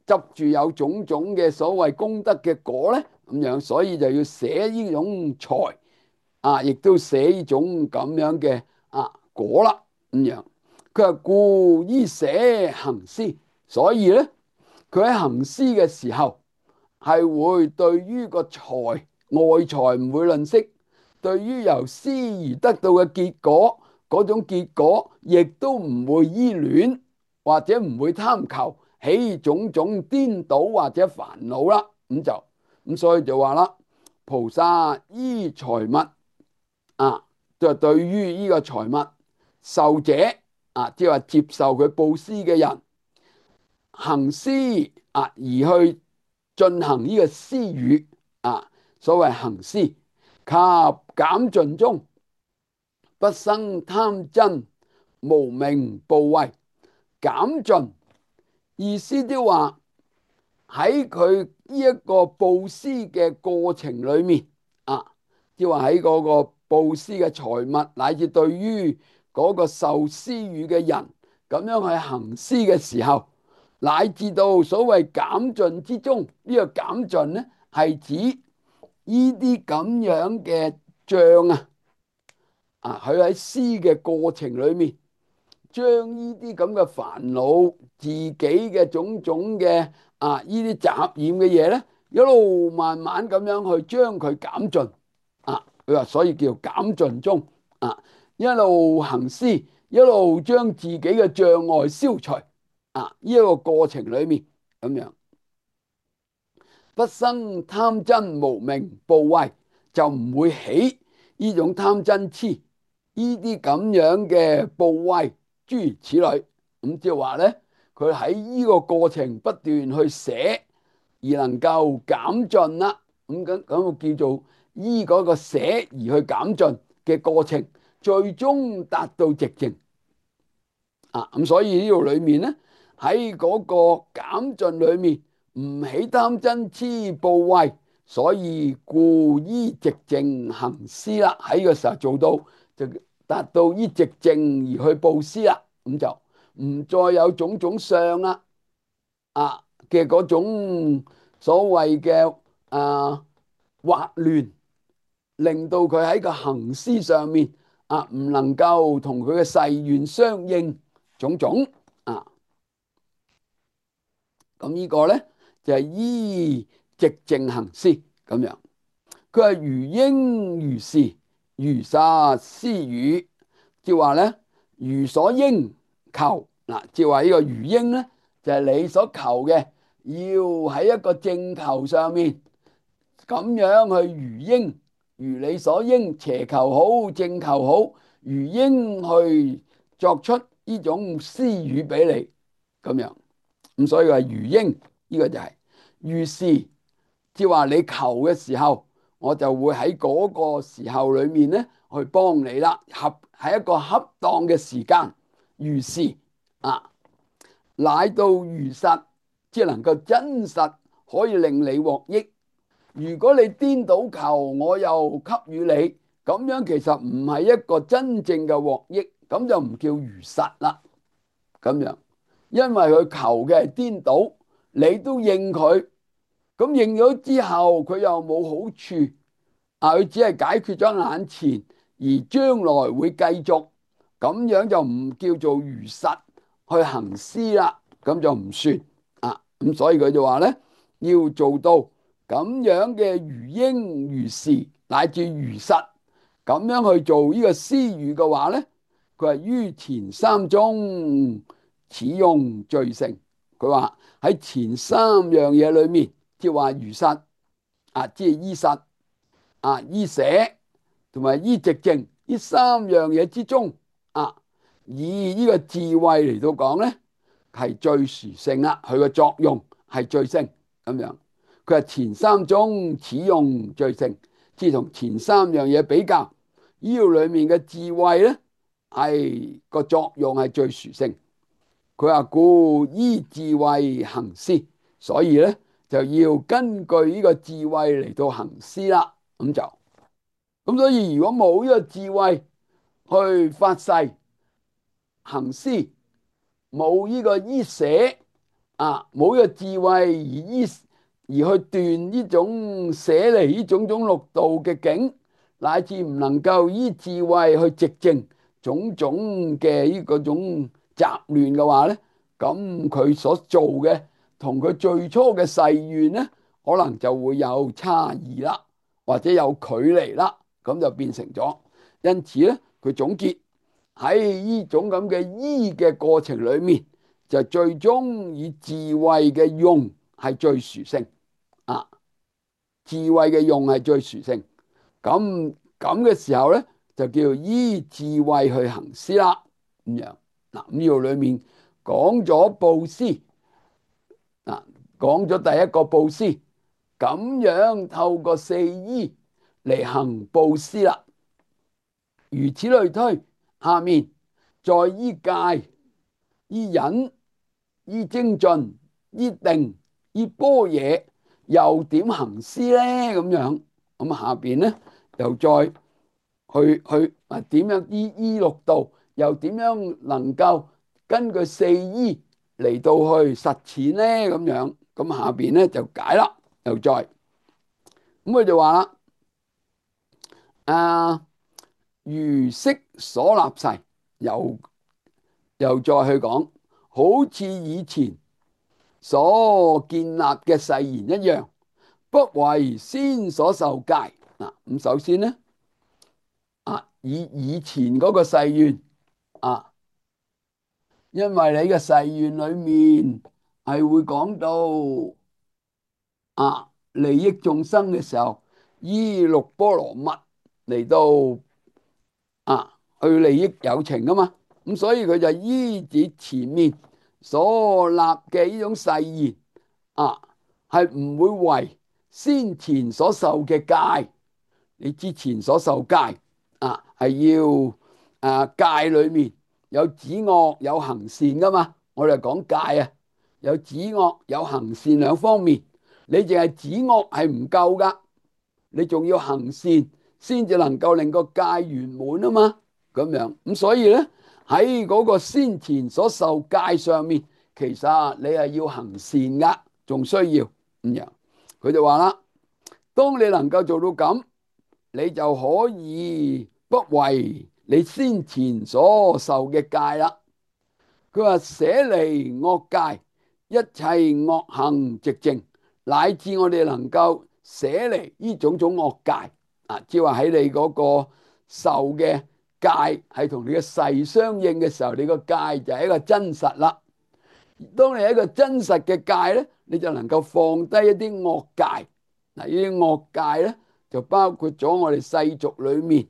執住有種種嘅所謂功德嘅果咧？咁樣所以就要捨呢種財啊，亦都捨呢種咁樣嘅果啦，咁樣。佢話故依捨行施，所以咧，佢喺行施嘅時候係會對於個財外財唔會吝嗇，對於由施而得到嘅結果嗰種結果，亦都唔會依戀或者唔會貪求，起種種顛倒或者煩惱啦。咁所以就話啦，菩薩依財物就對於呢個財物受者即係話接受佢布施嘅人行施而去進行呢個施予所謂行施及減盡中不生貪瞋，無明怖畏，減盡。意思即話喺佢呢一個布施嘅過程裏面啊，即話喺嗰個布施嘅財物，乃至對於嗰個受施予嘅人咁樣去行施嘅時候，乃至到所謂減盡之中，呢個減盡呢係指呢啲咁樣嘅障佢喺施嘅過程裏面，將呢啲咁嘅煩惱、自己嘅種種嘅呢啲雜染嘅嘢咧，一路慢慢咁樣去將佢減盡佢話所以叫減盡中一路行施，一路將自己嘅障礙消除呢一個過程裏面咁樣，不生貪瞋無明怖畏，就唔會起呢種貪瞋痴呢啲咁樣嘅怖畏諸如此類。咁即係話咧，佢喺呢個過程不斷去捨，而能夠減盡啦。咁叫做依嗰個捨而去減盡嘅過程，最終達到寂靜咁所以呢度裏面咧，喺嗰個減盡裏面唔起貪瞋痴怖畏，所以故依寂靜行施啦。喺個時候做到就達到依寂靜而去布施啦，咁就唔再有種種相啦嘅嗰種所謂嘅惑亂，令到佢喺個行施上面唔能夠同佢嘅誓願相應種種咁呢個咧就係依寂靜行施咁樣。佢係如應如是，如實施與，即係話咧如所應求即係話呢個如應咧就係你所求嘅，要喺一個正求上面咁樣去如應，如你所應，邪求好正求好，如應去作出呢種施與俾你咁樣。咁所以話如應呢個就係如是，即係話你求嘅時候，我就會喺嗰個時候裏面咧去幫你啦，喺一個恰當嘅時間，如是乃到如實，即係能夠真實可以令你獲益。如果你顛倒求，我又給予你，咁樣其實唔係一個真正嘅獲益，咁就唔叫如實啦。咁樣，因為佢求嘅係顛倒，你都應佢，咁應咗之後，佢又冇好處佢只係解決咗眼前，而將來會繼續，咁樣就唔叫做如實去行施啦，咁就唔算咁所以佢就話咧，要做到咁樣嘅如應如是乃至如實咁樣去做呢個施與嘅話咧，佢係於前三中此用最勝。佢話喺前三樣嘢裏面，即係話如實即係依實依捨同埋依寂靜呢三樣嘢之中以呢個智慧嚟到講咧，係最殊勝啦。佢嘅作用係最勝咁樣。佢係前三中此用最勝，即係同前三樣嘢比較，呢度裏面嘅智慧咧係個作用係最殊勝。佢話故依智慧行施，所以咧就要根據呢個智慧嚟到行施啦。咁所以如果冇呢個智慧去發誓行施，冇呢個依捨冇呢個智慧而去斷呢種捨離呢種六道嘅境，乃至唔能夠依智慧去寂靜種種嘅呢個種雜亂嘅話咧，咁佢所做嘅同佢最初嘅誓願咧，可能就會有差異啦，或者有距離啦，咁就變成咗。因此咧，佢總結喺呢種咁嘅依嘅過程裏面，就最終以智慧嘅用係最殊勝智慧嘅用係最殊勝。咁嘅時候咧，就叫依智慧去行施啦。咁樣咁呢度裏面講咗布施講咗第一個布施，咁樣透過四依嚟行布施啦。如此類推，下面在依戒、依忍、依精進、依定、依般若，又點行施呢？咁樣咁下邊咧又再點樣依六度，又點樣能夠根據四依嚟到去實踐呢？咁樣咁下邊咧就解啦，又再咁佢就話啦，啊如昔所立誓，又再去講，好似以前所建立嘅誓言一樣，不為先所受戒。嗱，咁首先咧，以前嗰個誓願啊，因為你嘅誓願裏面係會講到利益眾生嘅時候，依六波羅蜜嚟到去利益有情啊嘛，咁所以佢就依止前面所立嘅呢種誓言係唔會違先前所受嘅戒。你之前所受戒係要戒裏面有止惡有行善噶嘛，我哋講戒啊，有止惡有行善兩方面，你淨係止惡係唔夠噶，你仲要行善先至能夠令個戒圓滿啊嘛，咁樣咁所以咧喺嗰個先前所受戒上面，其實你係要行善噶，仲需要咁樣。佢就話啦，當你能夠做到咁，你就可以不為你先前所受嘅戒啦。佢話捨離惡戒，一切惡行寂靜，乃至我哋能夠捨離呢種種惡戒即係話喺你嗰個受嘅戒係同你嘅誓相應嘅時候，你個戒就係一個真實啦。當你係一個真實嘅戒咧，你就能夠放低一啲惡戒。嗱，呢啲惡戒咧就包括咗我哋世俗裏面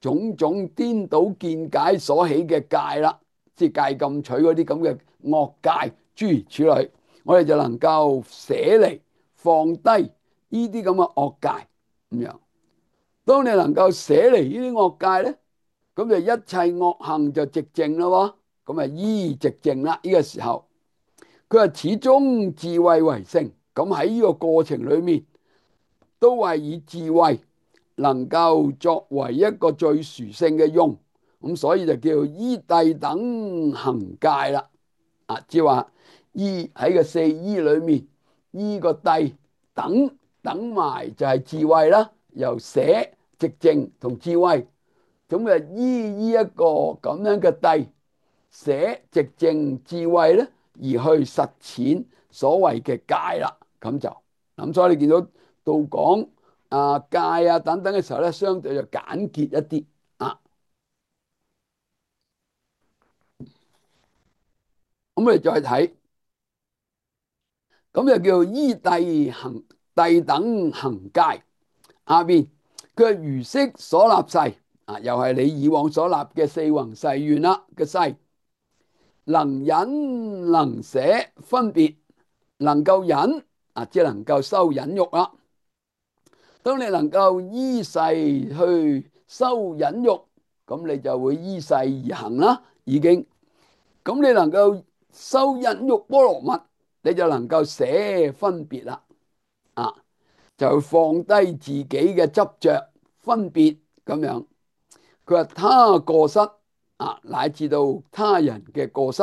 種種顛倒見解所起嘅戒啦，即係戒禁取嗰啲咁嘅惡戒諸如此類，我哋就能夠捨離放低呢啲咁嘅惡戒咁樣。當你能夠捨離呢啲惡戒咧，咁就一切惡行就寂靜咯，咁啊依寂靜啦。呢個時候佢話始終智慧為性，咁喺呢個過程裏面都係以智慧能夠作為一個最殊勝嘅用，咁所以就叫依諦等行戒啦。即係話依喺個四依裏面，依個諦等埋就係智慧啦，由捨寂靜同智慧，咁就依一個咁樣嘅諦捨寂靜智慧咧，而去實踐所謂嘅戒啦。咁所以你見到到講戒等等嘅時候咧，相對就簡潔一啲咁我哋再睇，咁就叫依諦等行戒。下邊佢係如昔所立誓又係你以往所立嘅四弘誓願啦嘅誓，能忍能捨分別，能夠忍即係能夠修忍辱啦。當你能夠依誓去修忍辱，咁你就會依誓而行啦。已經咁你能夠修忍辱波羅蜜，你就能夠捨分別啦。就放低自己嘅執着分別咁樣。佢話他過失乃至到他人嘅過失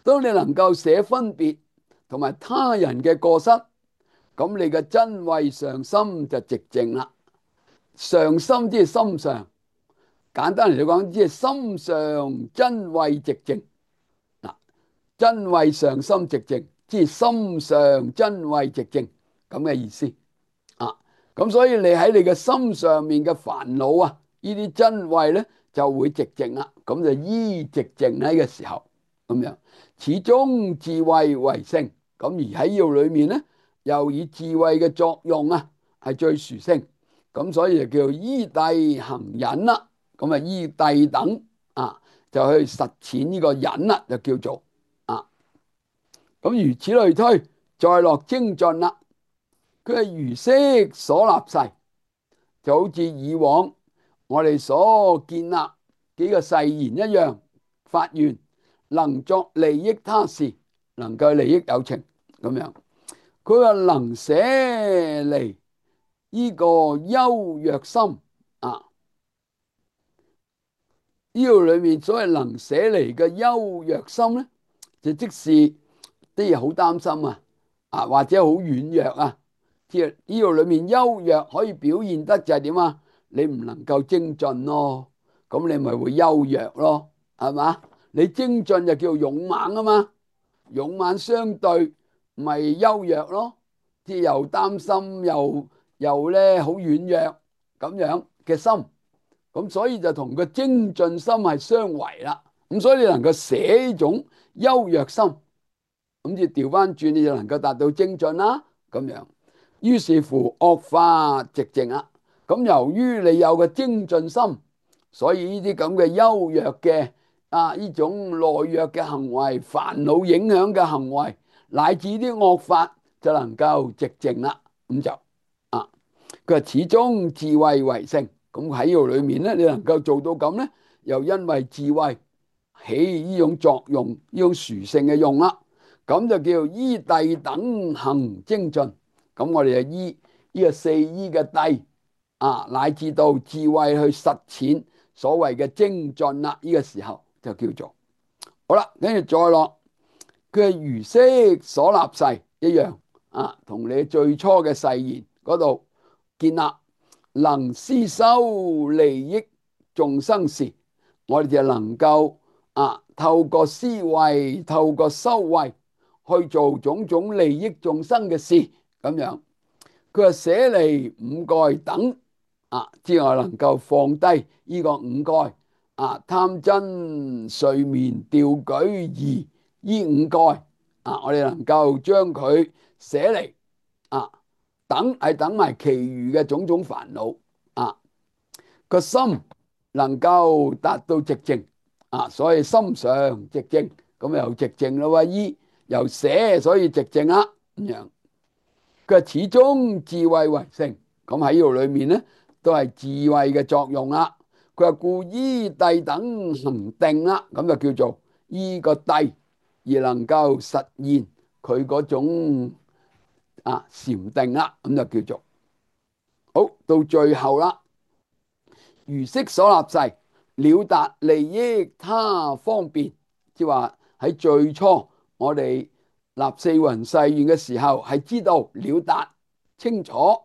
當你能夠捨分別同埋他人嘅過失，咁你嘅真慧上心就寂靜啦。上心即係心上，簡單嚟講，即係心上真慧寂靜。真慧上心寂靜，即係心上真慧寂靜咁嘅意思咁所以你喺你嘅心上面嘅煩惱呢啲真慧咧就會寂靜啦。咁就依寂靜喺嘅時候咁樣，始終智慧為性。咁而喺呢度裏面咧，又以智慧嘅作用係最殊勝。咁所以就叫依諦行忍啦。咁依諦等就去實踐呢個忍啦，就叫做咁如此類推，再落精進啦。佢係如昔所立誓，就好似以往我哋所建立幾個誓言一樣，發願能作利益他事，能夠利益有情咁樣。佢話能捨離呢個憂虐心啊，呢度裏面所謂能捨離嘅憂虐心咧，就即是啲嘢好擔心或者好軟弱啊。即係呢度裏面憂弱可以表現得就係點啊？你唔能夠精進咯，咁你咪會憂弱咯，係嘛？你精進就叫勇猛啊嘛，勇猛相對咪憂弱咯，即係又擔心又咧好軟弱咁樣嘅心，咁所以就同個精進心係相違啦。咁所以你能夠捨呢種憂弱心，咁就調翻轉，你就能夠達到精進啦。咁樣，於是乎惡法寂靜啦。咁由於你有個精進心，所以呢啲咁嘅優弱嘅呢種懦弱嘅行為、煩惱影響嘅行為，乃至啲惡法就能夠寂靜啦。咁就佢話始終智慧為性。咁喺呢度裏面咧，你能夠做到咁咧，又因為智慧起呢種作用，呢種殊勝嘅用啦。咁就叫依諦等行精進。咁我哋就依呢個四依嘅諦乃至到智慧去實踐所謂嘅精進啦。呢個時候就叫做好啦。跟住再落，佢係如昔所立誓一樣同你最初嘅誓言嗰度建立，能思修利益眾生事，我哋就能夠透過思維，透過修慧去做種種利益眾生嘅事咁樣。佢話捨離五蓋等之外，能夠放低呢個五蓋貪嗔睡眠掉舉疑呢五蓋我哋能夠將佢捨離等係等埋其餘嘅種種煩惱個心能夠達到寂靜所以心常寂靜，咁又寂靜咯。依又捨，所以寂靜啦咁樣。佢話始終智慧為性，咁喺呢度裏面咧都係智慧嘅作用啦。佢話故依諦等行定啦，咁就叫做依個諦而能夠實現佢嗰種禪定啦，咁就叫做好。到最後啦，如昔所立誓，了達利益他方便，即係話喺最初我哋立四弘誓願嘅時候，係知道了達清楚，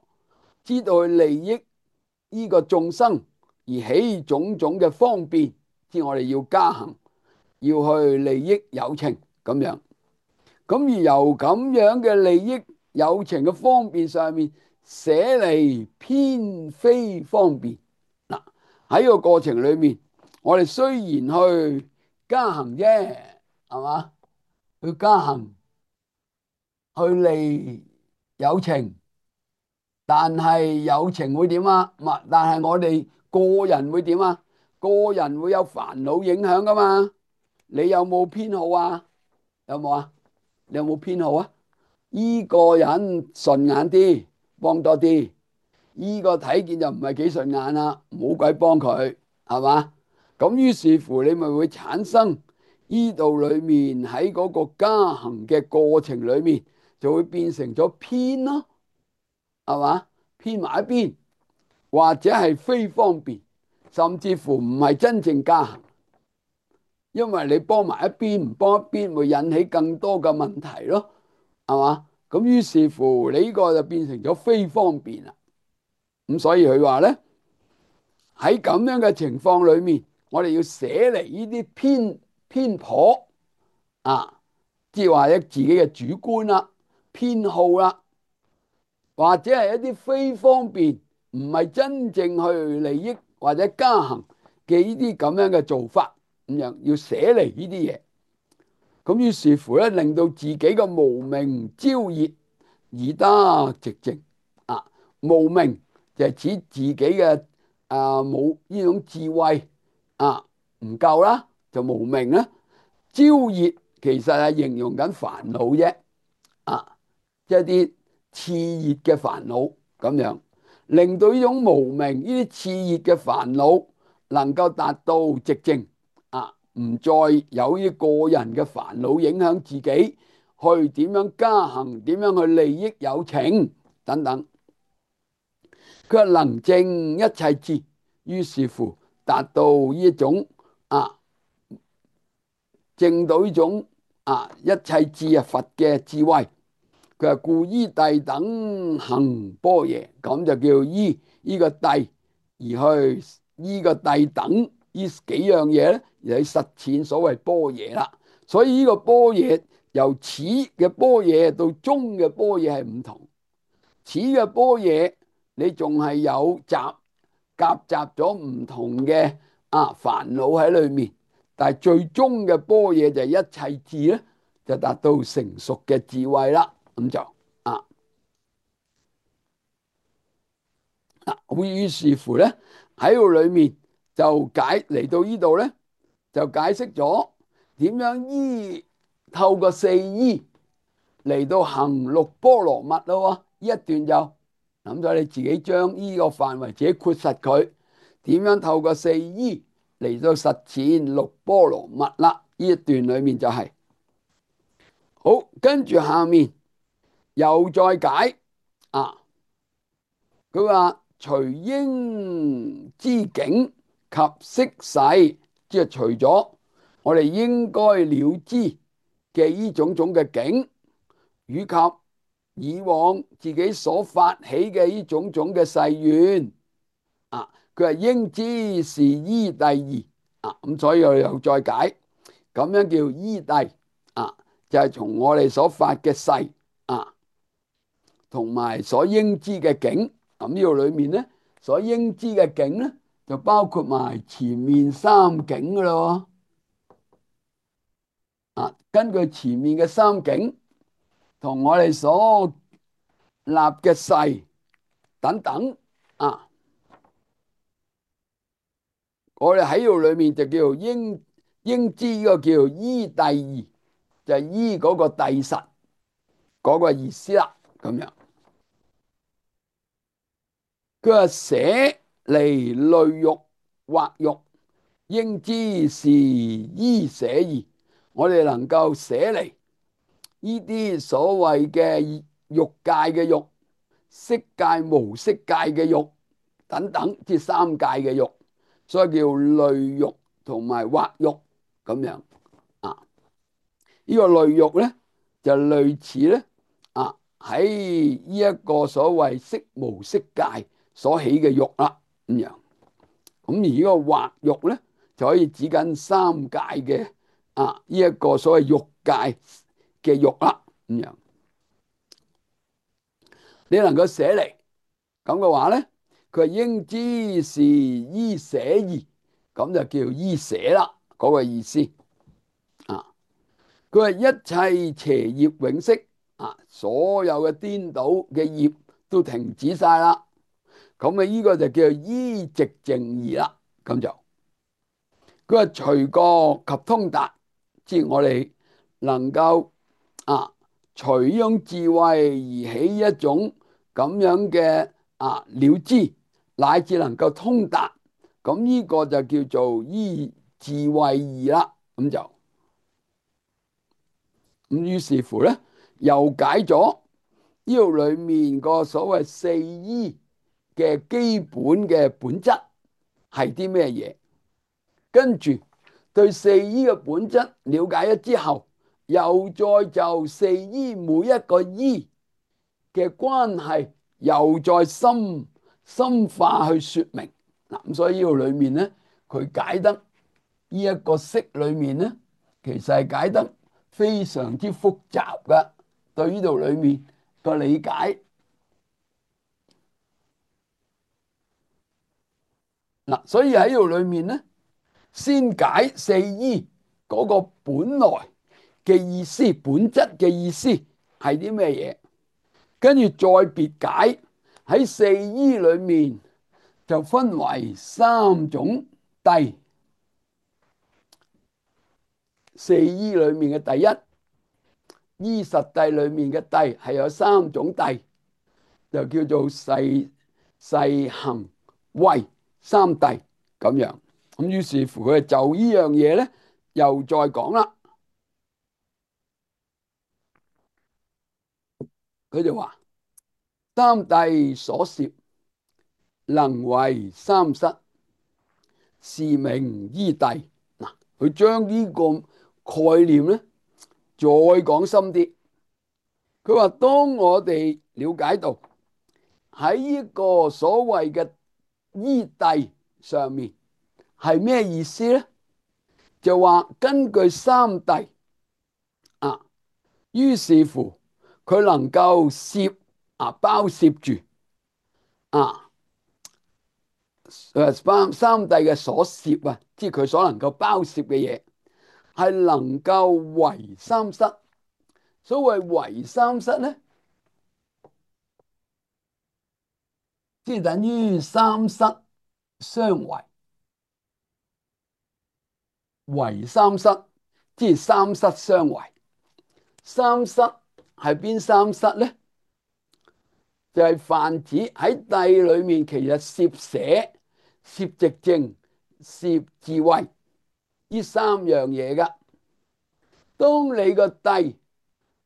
知道去利益呢個眾生而起種種嘅方便，即係我哋要加行，要去利益有情咁樣。咁而由咁樣嘅利益有情嘅方便上面，捨離偏非方便。喺個過程裏面，我哋雖然去加行啫，係嘛？去加行去利有情，但係有情會點啊？但係我哋個人會點啊？個人會有煩惱影響噶嘛？你有冇偏好啊？有冇啊？你有冇偏好啊？依個人順眼啲，幫多啲；依個睇見就唔係幾順眼啦，冇鬼幫佢，係嘛？咁於是乎你咪會產生依度裏面喺嗰個加行嘅過程裏面，就會變成咗偏咯，係嘛？偏埋一邊，或者係非方便，甚至乎唔係真正加行，因為你幫埋一邊唔幫一邊，會引起更多嘅問題咯，係嘛？咁於是乎你呢個就變成咗非方便啦。咁所以佢話咧，喺咁樣嘅情況裏面，我哋要捨離呢啲偏頗即係話咧自己嘅主觀啦、偏好啦，或者係一啲非方便，唔係真正去利益或者加行嘅呢啲咁樣嘅做法，咁樣要捨離呢啲嘢。咁於是乎咧，令到自己嘅無明招熱而得寂靜無明就係指自己嘅冇呢種智慧唔夠啦，就無明啦。招熱其實係形容緊煩惱啫，即係啲熾熱嘅煩惱咁樣。令到呢種無明呢啲熾熱嘅煩惱能夠達到寂靜啊，唔再有呢個人嘅煩惱影響自己，去點樣加行，點樣去利益有情等等。佢話能證一切智，於是乎達到呢種啊，證到呢種一切智佛嘅智慧。佢話故依諦等行般若，咁就叫依呢個諦而去依個諦等呢幾樣嘢咧，而去實踐所謂般若啦。所以呢個般若由始嘅般若到終嘅般若係唔同。始嘅般若你仲係有夾雜咗唔同嘅煩惱喺裏面，但係最終嘅般若就係一切智咧，就達到成熟嘅智慧啦。咁就於是乎咧喺度裏面就嚟到呢度咧，就解釋咗點樣透過四依嚟到行六波羅蜜咯。呢一段就諗咗你自己將呢個範圍自己括實佢，點樣透過四依嚟到實踐六波羅蜜啦。呢一段裏面就係好，跟住下面又再解佢話隨應知境及識世，即係除咗我哋應該了知嘅呢種種嘅境，以及以往自己所發起嘅呢種種嘅誓願佢話應知是依諦二咁，所以我哋又再解，咁樣叫依諦就係從我哋所發嘅誓同埋所應知嘅境。咁呢度裏面咧，所應知嘅境咧，就包括埋前面三境噶咯。根據前面嘅三境同我哋所立嘅誓等等我哋喺度裏面就叫做應知，呢個叫做依諦二，就係依嗰個諦實嗰個意思啦。咁樣佢話捨離類欲惑欲，應知是依捨二。我哋能夠捨離呢啲所謂嘅欲界嘅欲、色界無色界嘅欲等等，即三界嘅欲，所以叫類欲同埋惑欲咁樣呢個類欲咧就類似咧喺呢一個所謂色無色界所起嘅欲啦咁樣。咁而呢個惑欲咧就可以指緊三界嘅呢一個所謂欲界嘅欲啦咁樣。你能夠捨離咁嘅話咧，佢係應知是依捨二，咁就叫依捨啦嗰個意思佢話一切邪業永息所有嘅顛倒嘅業都停止晒啦。咁呢個就叫依寂靜二啦。咁就佢話隨覺及通達，即係我哋能夠隨呢種智慧而起一種咁樣嘅了知，乃至能夠通達，咁呢個就叫做依智慧二啦。咁於是乎咧，又解咗呢度裏面個所謂四依嘅基本嘅本質係啲咩嘢？跟住對四依嘅本質了解咗之後，又再就四依每一個依嘅關係，又再深化去說明咁。所以呢度裏面咧，佢解得呢一個釋裏面咧，其實係解得非常之複雜噶。對呢度裏面個理解所以喺呢度裏面咧，先解四依嗰個本來嘅意思、本質嘅意思係啲咩嘢，跟住再別解喺四依裏面就分為三種諦。四依裏面嘅第一依實諦裏面嘅諦係有三種諦，就叫做勢行位三諦咁樣。咁於是乎佢就呢樣嘢咧，又再講啦。佢就話三諦所攝，能為三失，是名依諦。嗱，佢將呢個概念咧再講深啲。佢話當我哋了解到喺呢個所謂嘅依諦上面係咩意思咧？就話根據三諦啊，於是乎佢能夠攝包攝住啊三諦嘅所攝啊，即係佢所能夠包攝嘅嘢，係能夠為三失。所謂為三失咧，即係等於三失相違。為三失，即係三失相違。三失係邊三失咧？就係泛指喺諦裏面，其實攝捨、攝寂靜、攝智慧呢三樣嘢噶。當你個諦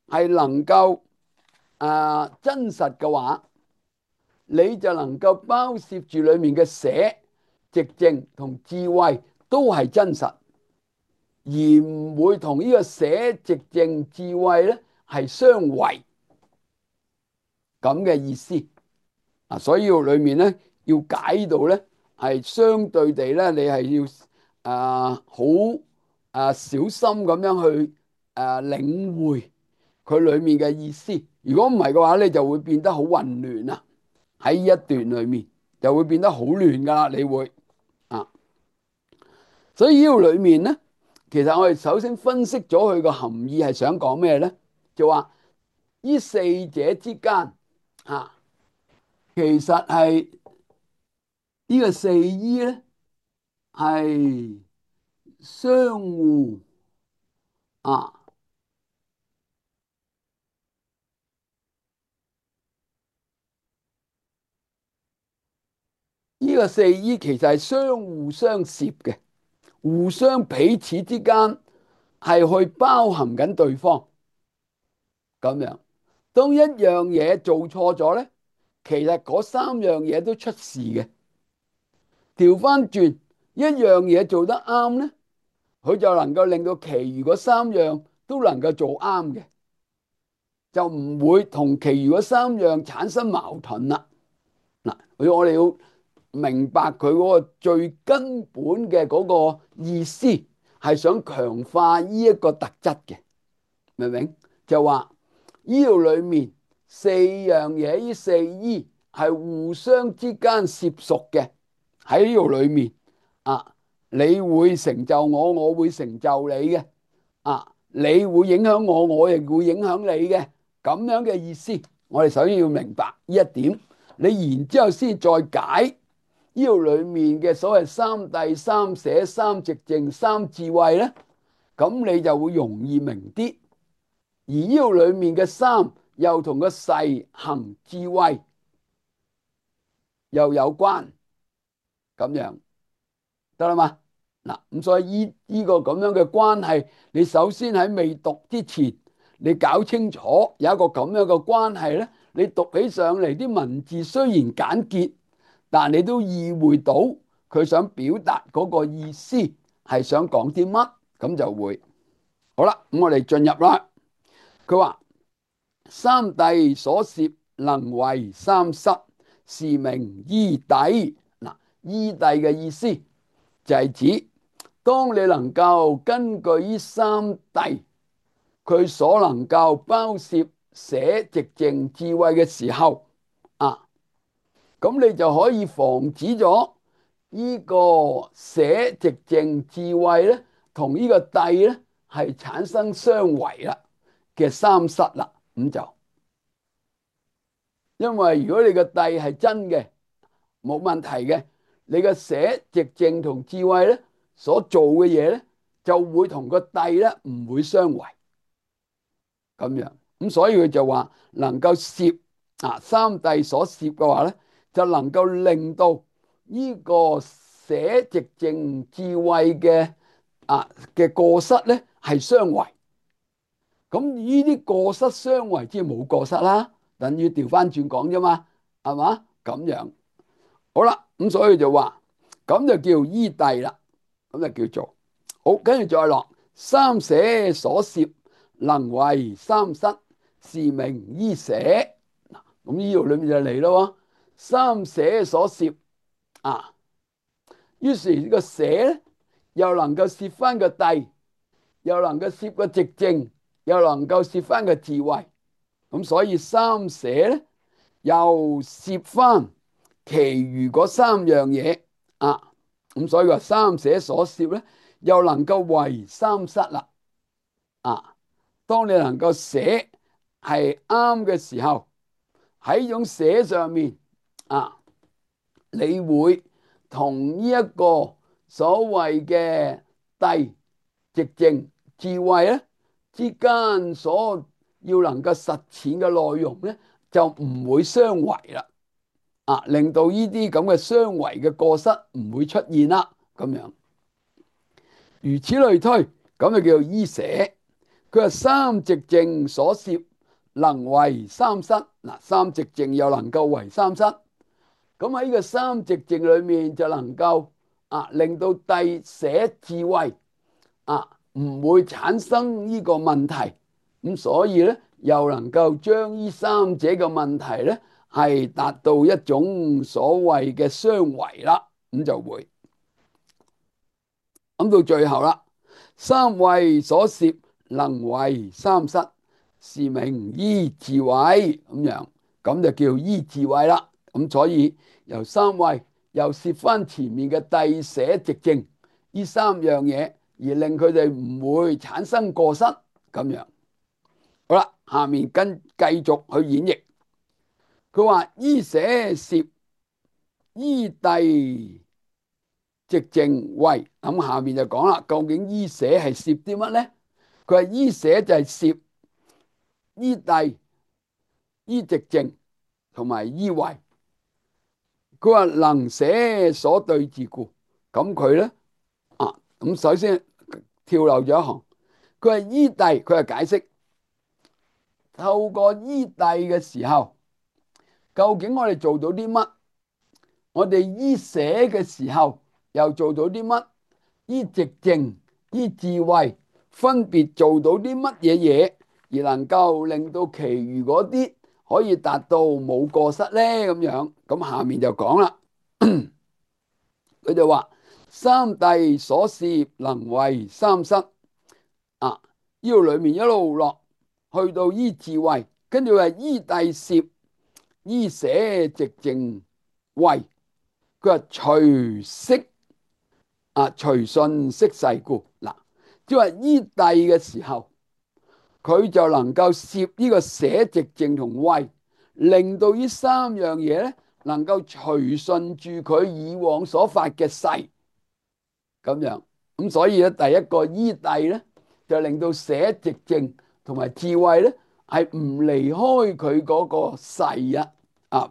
係能夠真實嘅話，你就能夠包攝住裏面嘅捨、寂靜同智慧都係真實，而唔會同呢個捨、寂靜、智慧咧係相違咁嘅意思。所以裏面咧要解到咧係相對地咧，你係要好小心咁樣去領會佢裏面嘅意思。如果唔係嘅話咧，就會變得好混亂啊！喺呢一段裏面就會變得好亂噶啦，你會啊。所以呢度裏面咧，其實我哋首先分析咗佢個含義係想講咩咧？就話呢四者之間其實係呢個四依咧係相互啊，呢個四依其實係相互相攝嘅，互相彼此之間係去包含緊對方咁樣。當一樣嘢做錯咗咧，其實嗰三樣嘢都出事嘅。調翻轉一樣嘢做得啱咧，佢就能夠令到其餘嗰三樣都能夠做啱嘅，就唔會同其餘嗰三樣產生矛盾啦。嗱，我哋要明白佢嗰個最根本嘅嗰個意思，係想強化呢一個特質嘅，明唔明？就話呢度裏面四樣嘢，呢四依係互相之間攝屬嘅。喺呢度裏面你會成就我，我會成就你嘅你會影響我，我亦會影響你嘅，咁樣嘅意思。我哋首先要明白呢一點，你然之後先再解呢度裏面嘅所謂三諦、三捨、三寂靜、三智慧咧，咁你就會容易明啲。而呢度裏面嘅三又同個勢行智慧又有關，咁樣得啦嘛？嗱，咁所以呢個咁樣嘅關係，你首先喺未讀之前，你搞清楚有一個咁樣嘅關係咧，你讀起上嚟啲文字雖然簡潔，但你都意會到佢想表達嗰個意思係想講啲乜，咁就會好啦。咁我哋進入啦。佢話三諦所攝，能為三失，是名依諦。嗱，依諦嘅意思就係指，當你能夠根據呢三諦，佢所能夠包攝捨寂靜智慧嘅時候咁你就可以防止咗呢個捨寂靜智慧咧，同呢個諦咧係產生相違啦嘅三失啦。咁就因為如果你個諦係真嘅，冇問題嘅，你個捨寂靜同智慧咧所做嘅嘢咧，就會同個諦咧唔會相違咁樣。咁所以佢就話能夠攝三諦所攝嘅話咧，就能夠令到呢個捨寂靜智慧嘅過失咧係相違。咁呢啲過失相違，即係冇過失啦，等於調翻轉講啫嘛，係嘛？咁樣好啦，咁所以就話咁就叫依諦啦，咁就叫做好。跟住再落三捨所攝，能為三失，是名依捨。咁呢度裏面就嚟咯，三捨所攝啊，於是呢個捨咧，又能夠攝翻個諦，又能夠攝個寂靜，又能夠攝翻個智慧。咁所以三捨咧，又攝翻其餘嗰三樣嘢啊。咁所以話三捨所攝咧，又能夠為三失啦。啊，當你能夠捨係啱嘅時候，喺呢種捨上面啊，你會同呢一個所謂嘅諦、寂靜、智慧咧之間所要能夠實踐嘅內容咧，就唔會相違啦。啊，令到呢啲咁嘅相違嘅過失唔會出現啦。咁樣如此類推，咁就叫做依捨。佢話三寂靜所攝，能為三失。嗱，三寂靜又能夠為三失。咁喺呢個三寂靜裏面就能夠令到諦捨智慧唔會產生呢個問題。咁所以咧又能夠將呢三者嘅問題咧係達到一種所謂嘅相違啦。咁就會咁到最後啦，三慧所攝，能為三失，是名依智慧。咁樣咁就叫依智慧啦。咁所以由三慧又攝翻前面嘅諦捨寂靜呢三樣嘢，而令佢哋唔會產生過失。咁樣好啦，下面繼續去演繹。佢話依捨攝，依諦寂靜慧。咁下面就講啦，究竟依捨係攝啲乜咧？佢話依捨就係攝依諦、依寂靜同埋依慧。佢話能捨所對治故，咁佢咧咁首先跳漏咗一行。佢話依諦，佢係解釋透過依諦嘅時候，究竟我哋做到啲乜？我哋依捨嘅時候又做到啲乜？依寂靜、依智慧，分別做到啲乜嘢嘢，而能夠令到其餘嗰啲可以達到冇過失咧？咁樣咁下面就講啦，佢就話三諦所攝，能為三失。呢度裏面一路落去到依智慧，跟住話依諦攝，依捨寂靜慧。佢話隨息隨順息世故。嗱，即係話依諦嘅時候，佢就能夠攝呢個捨寂靜同慧，令到呢三樣嘢咧能夠隨順住佢以往所發嘅誓。咁樣咁所以咧，第一個依諦咧就令到捨寂靜同埋智慧咧係唔離開佢嗰個誓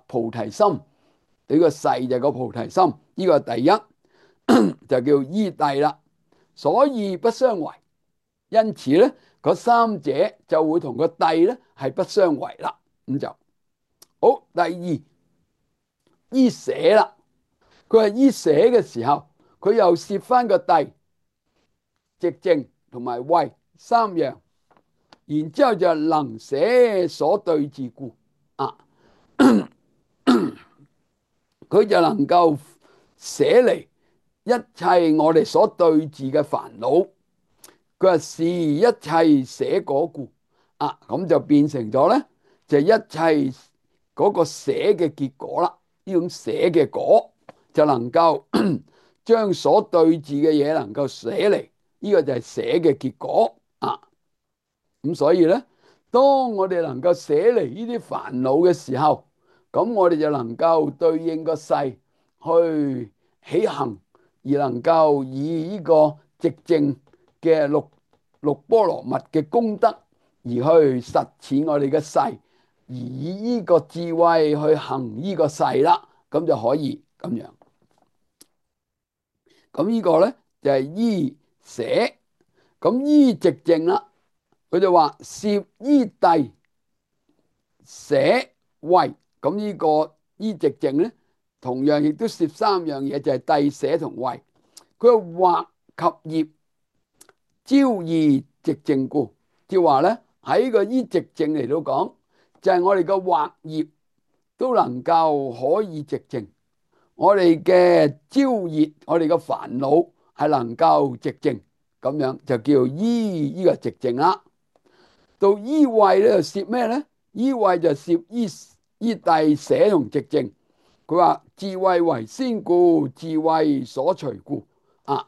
菩提心。呢個誓就係個菩提心，呢個係第一就叫依諦啦。所以不相違，因此咧嗰三者就會同個諦咧係不相違啦。咁就好。第二依捨啦，佢係依捨嘅時候，佢又攝翻個諦、寂靜同埋慧三樣，然之後就能捨所對治故佢就能夠捨離一切我哋所對治嘅煩惱。佢話是一切捨果故咁就變成咗咧，就一切嗰個捨嘅結果啦。呢種捨嘅果就能夠將所對治嘅嘢能夠捨離，呢個就係捨嘅結果咁所以咧，當我哋能夠捨離呢啲煩惱嘅時候，咁我哋就能夠對應個誓去起行，而能夠以呢個寂靜嘅六波羅蜜嘅功德而去實踐我哋嘅誓，而以呢個智慧去行呢個誓啦。咁就可以咁樣。咁呢個咧就係依捨。咁依直正啦，佢就話攝依諦捨慧。咁呢個依直正咧，同樣亦都攝三樣嘢，就係諦捨同慧。佢話惑及業招異直正故，即係話咧喺個依直正嚟到講，就係我哋個惑業都能夠可以直正，我哋嘅招業，我哋嘅煩惱係能夠直正，咁樣就叫依呢個直正啦。到依慧咧就攝咩咧？依慧就攝依諦捨同直正。佢話智慧為先故，智慧所隨故啊。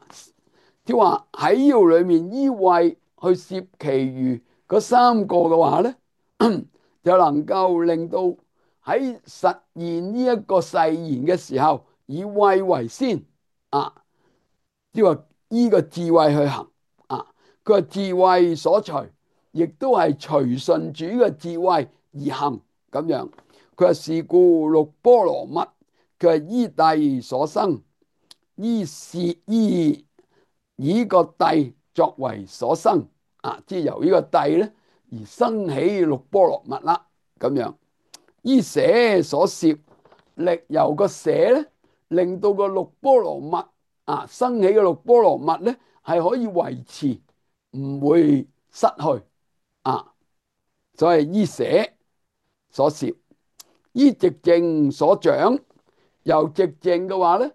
即係話喺呢度裏面依慧去攝其餘嗰三個嘅話咧，就能夠令到喺實現呢一個誓言嘅時候，以慧為先啊。即係話依個智慧去行啊。佢話智慧所隨，亦都係隨順主嘅智慧而行咁樣。佢話是故六波羅蜜，佢係依諦所生，依攝依以個諦作為所生啊，即係由呢個諦咧而生起六波羅蜜啦咁樣。依捨所攝，力由個捨咧，令到個六波羅蜜啊生起嘅六波羅蜜咧係可以維持，唔會失去啊。所以依捨所攝，依直正所長，由直正嘅話咧，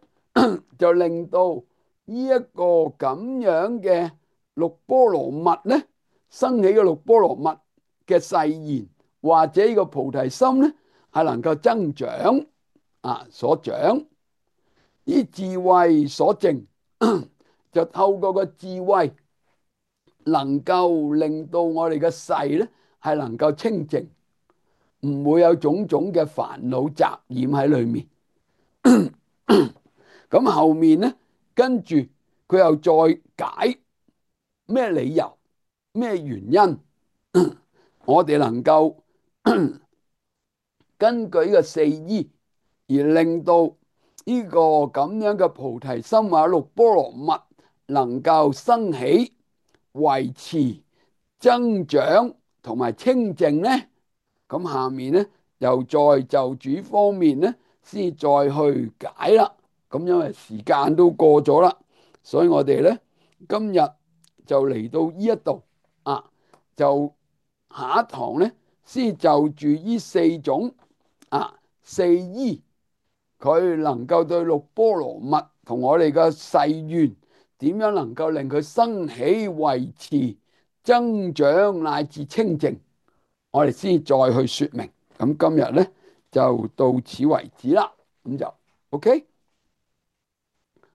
就令到呢一個咁樣嘅六波羅蜜咧，生起嘅六波羅蜜嘅誓言或者呢個菩提心咧，係能夠增長啊，所長。依智慧所證，就透過個智慧，能夠令到我哋嘅誓咧係能夠清淨，唔會有種種嘅煩惱雜染喺裏面。咁後面咧，跟住佢又再解咩理由、咩原因，我哋能夠根據呢個四依而令到呢個咁樣嘅菩提心或六波羅蜜能夠生起、維持、增長同埋清淨呢？咁下面呢，又再就主方面呢，先再去解啦。咁因為時間都過咗啦，所以我哋呢，今日就嚟到呢一度啊，就下一堂呢，先就住呢四種四依，佢能夠對六波羅蜜同我哋嘅誓願點樣能夠令佢生起、維持、增長乃至清淨，我哋先再去說明。咁今日呢，就到此為止啦，咁就 OK。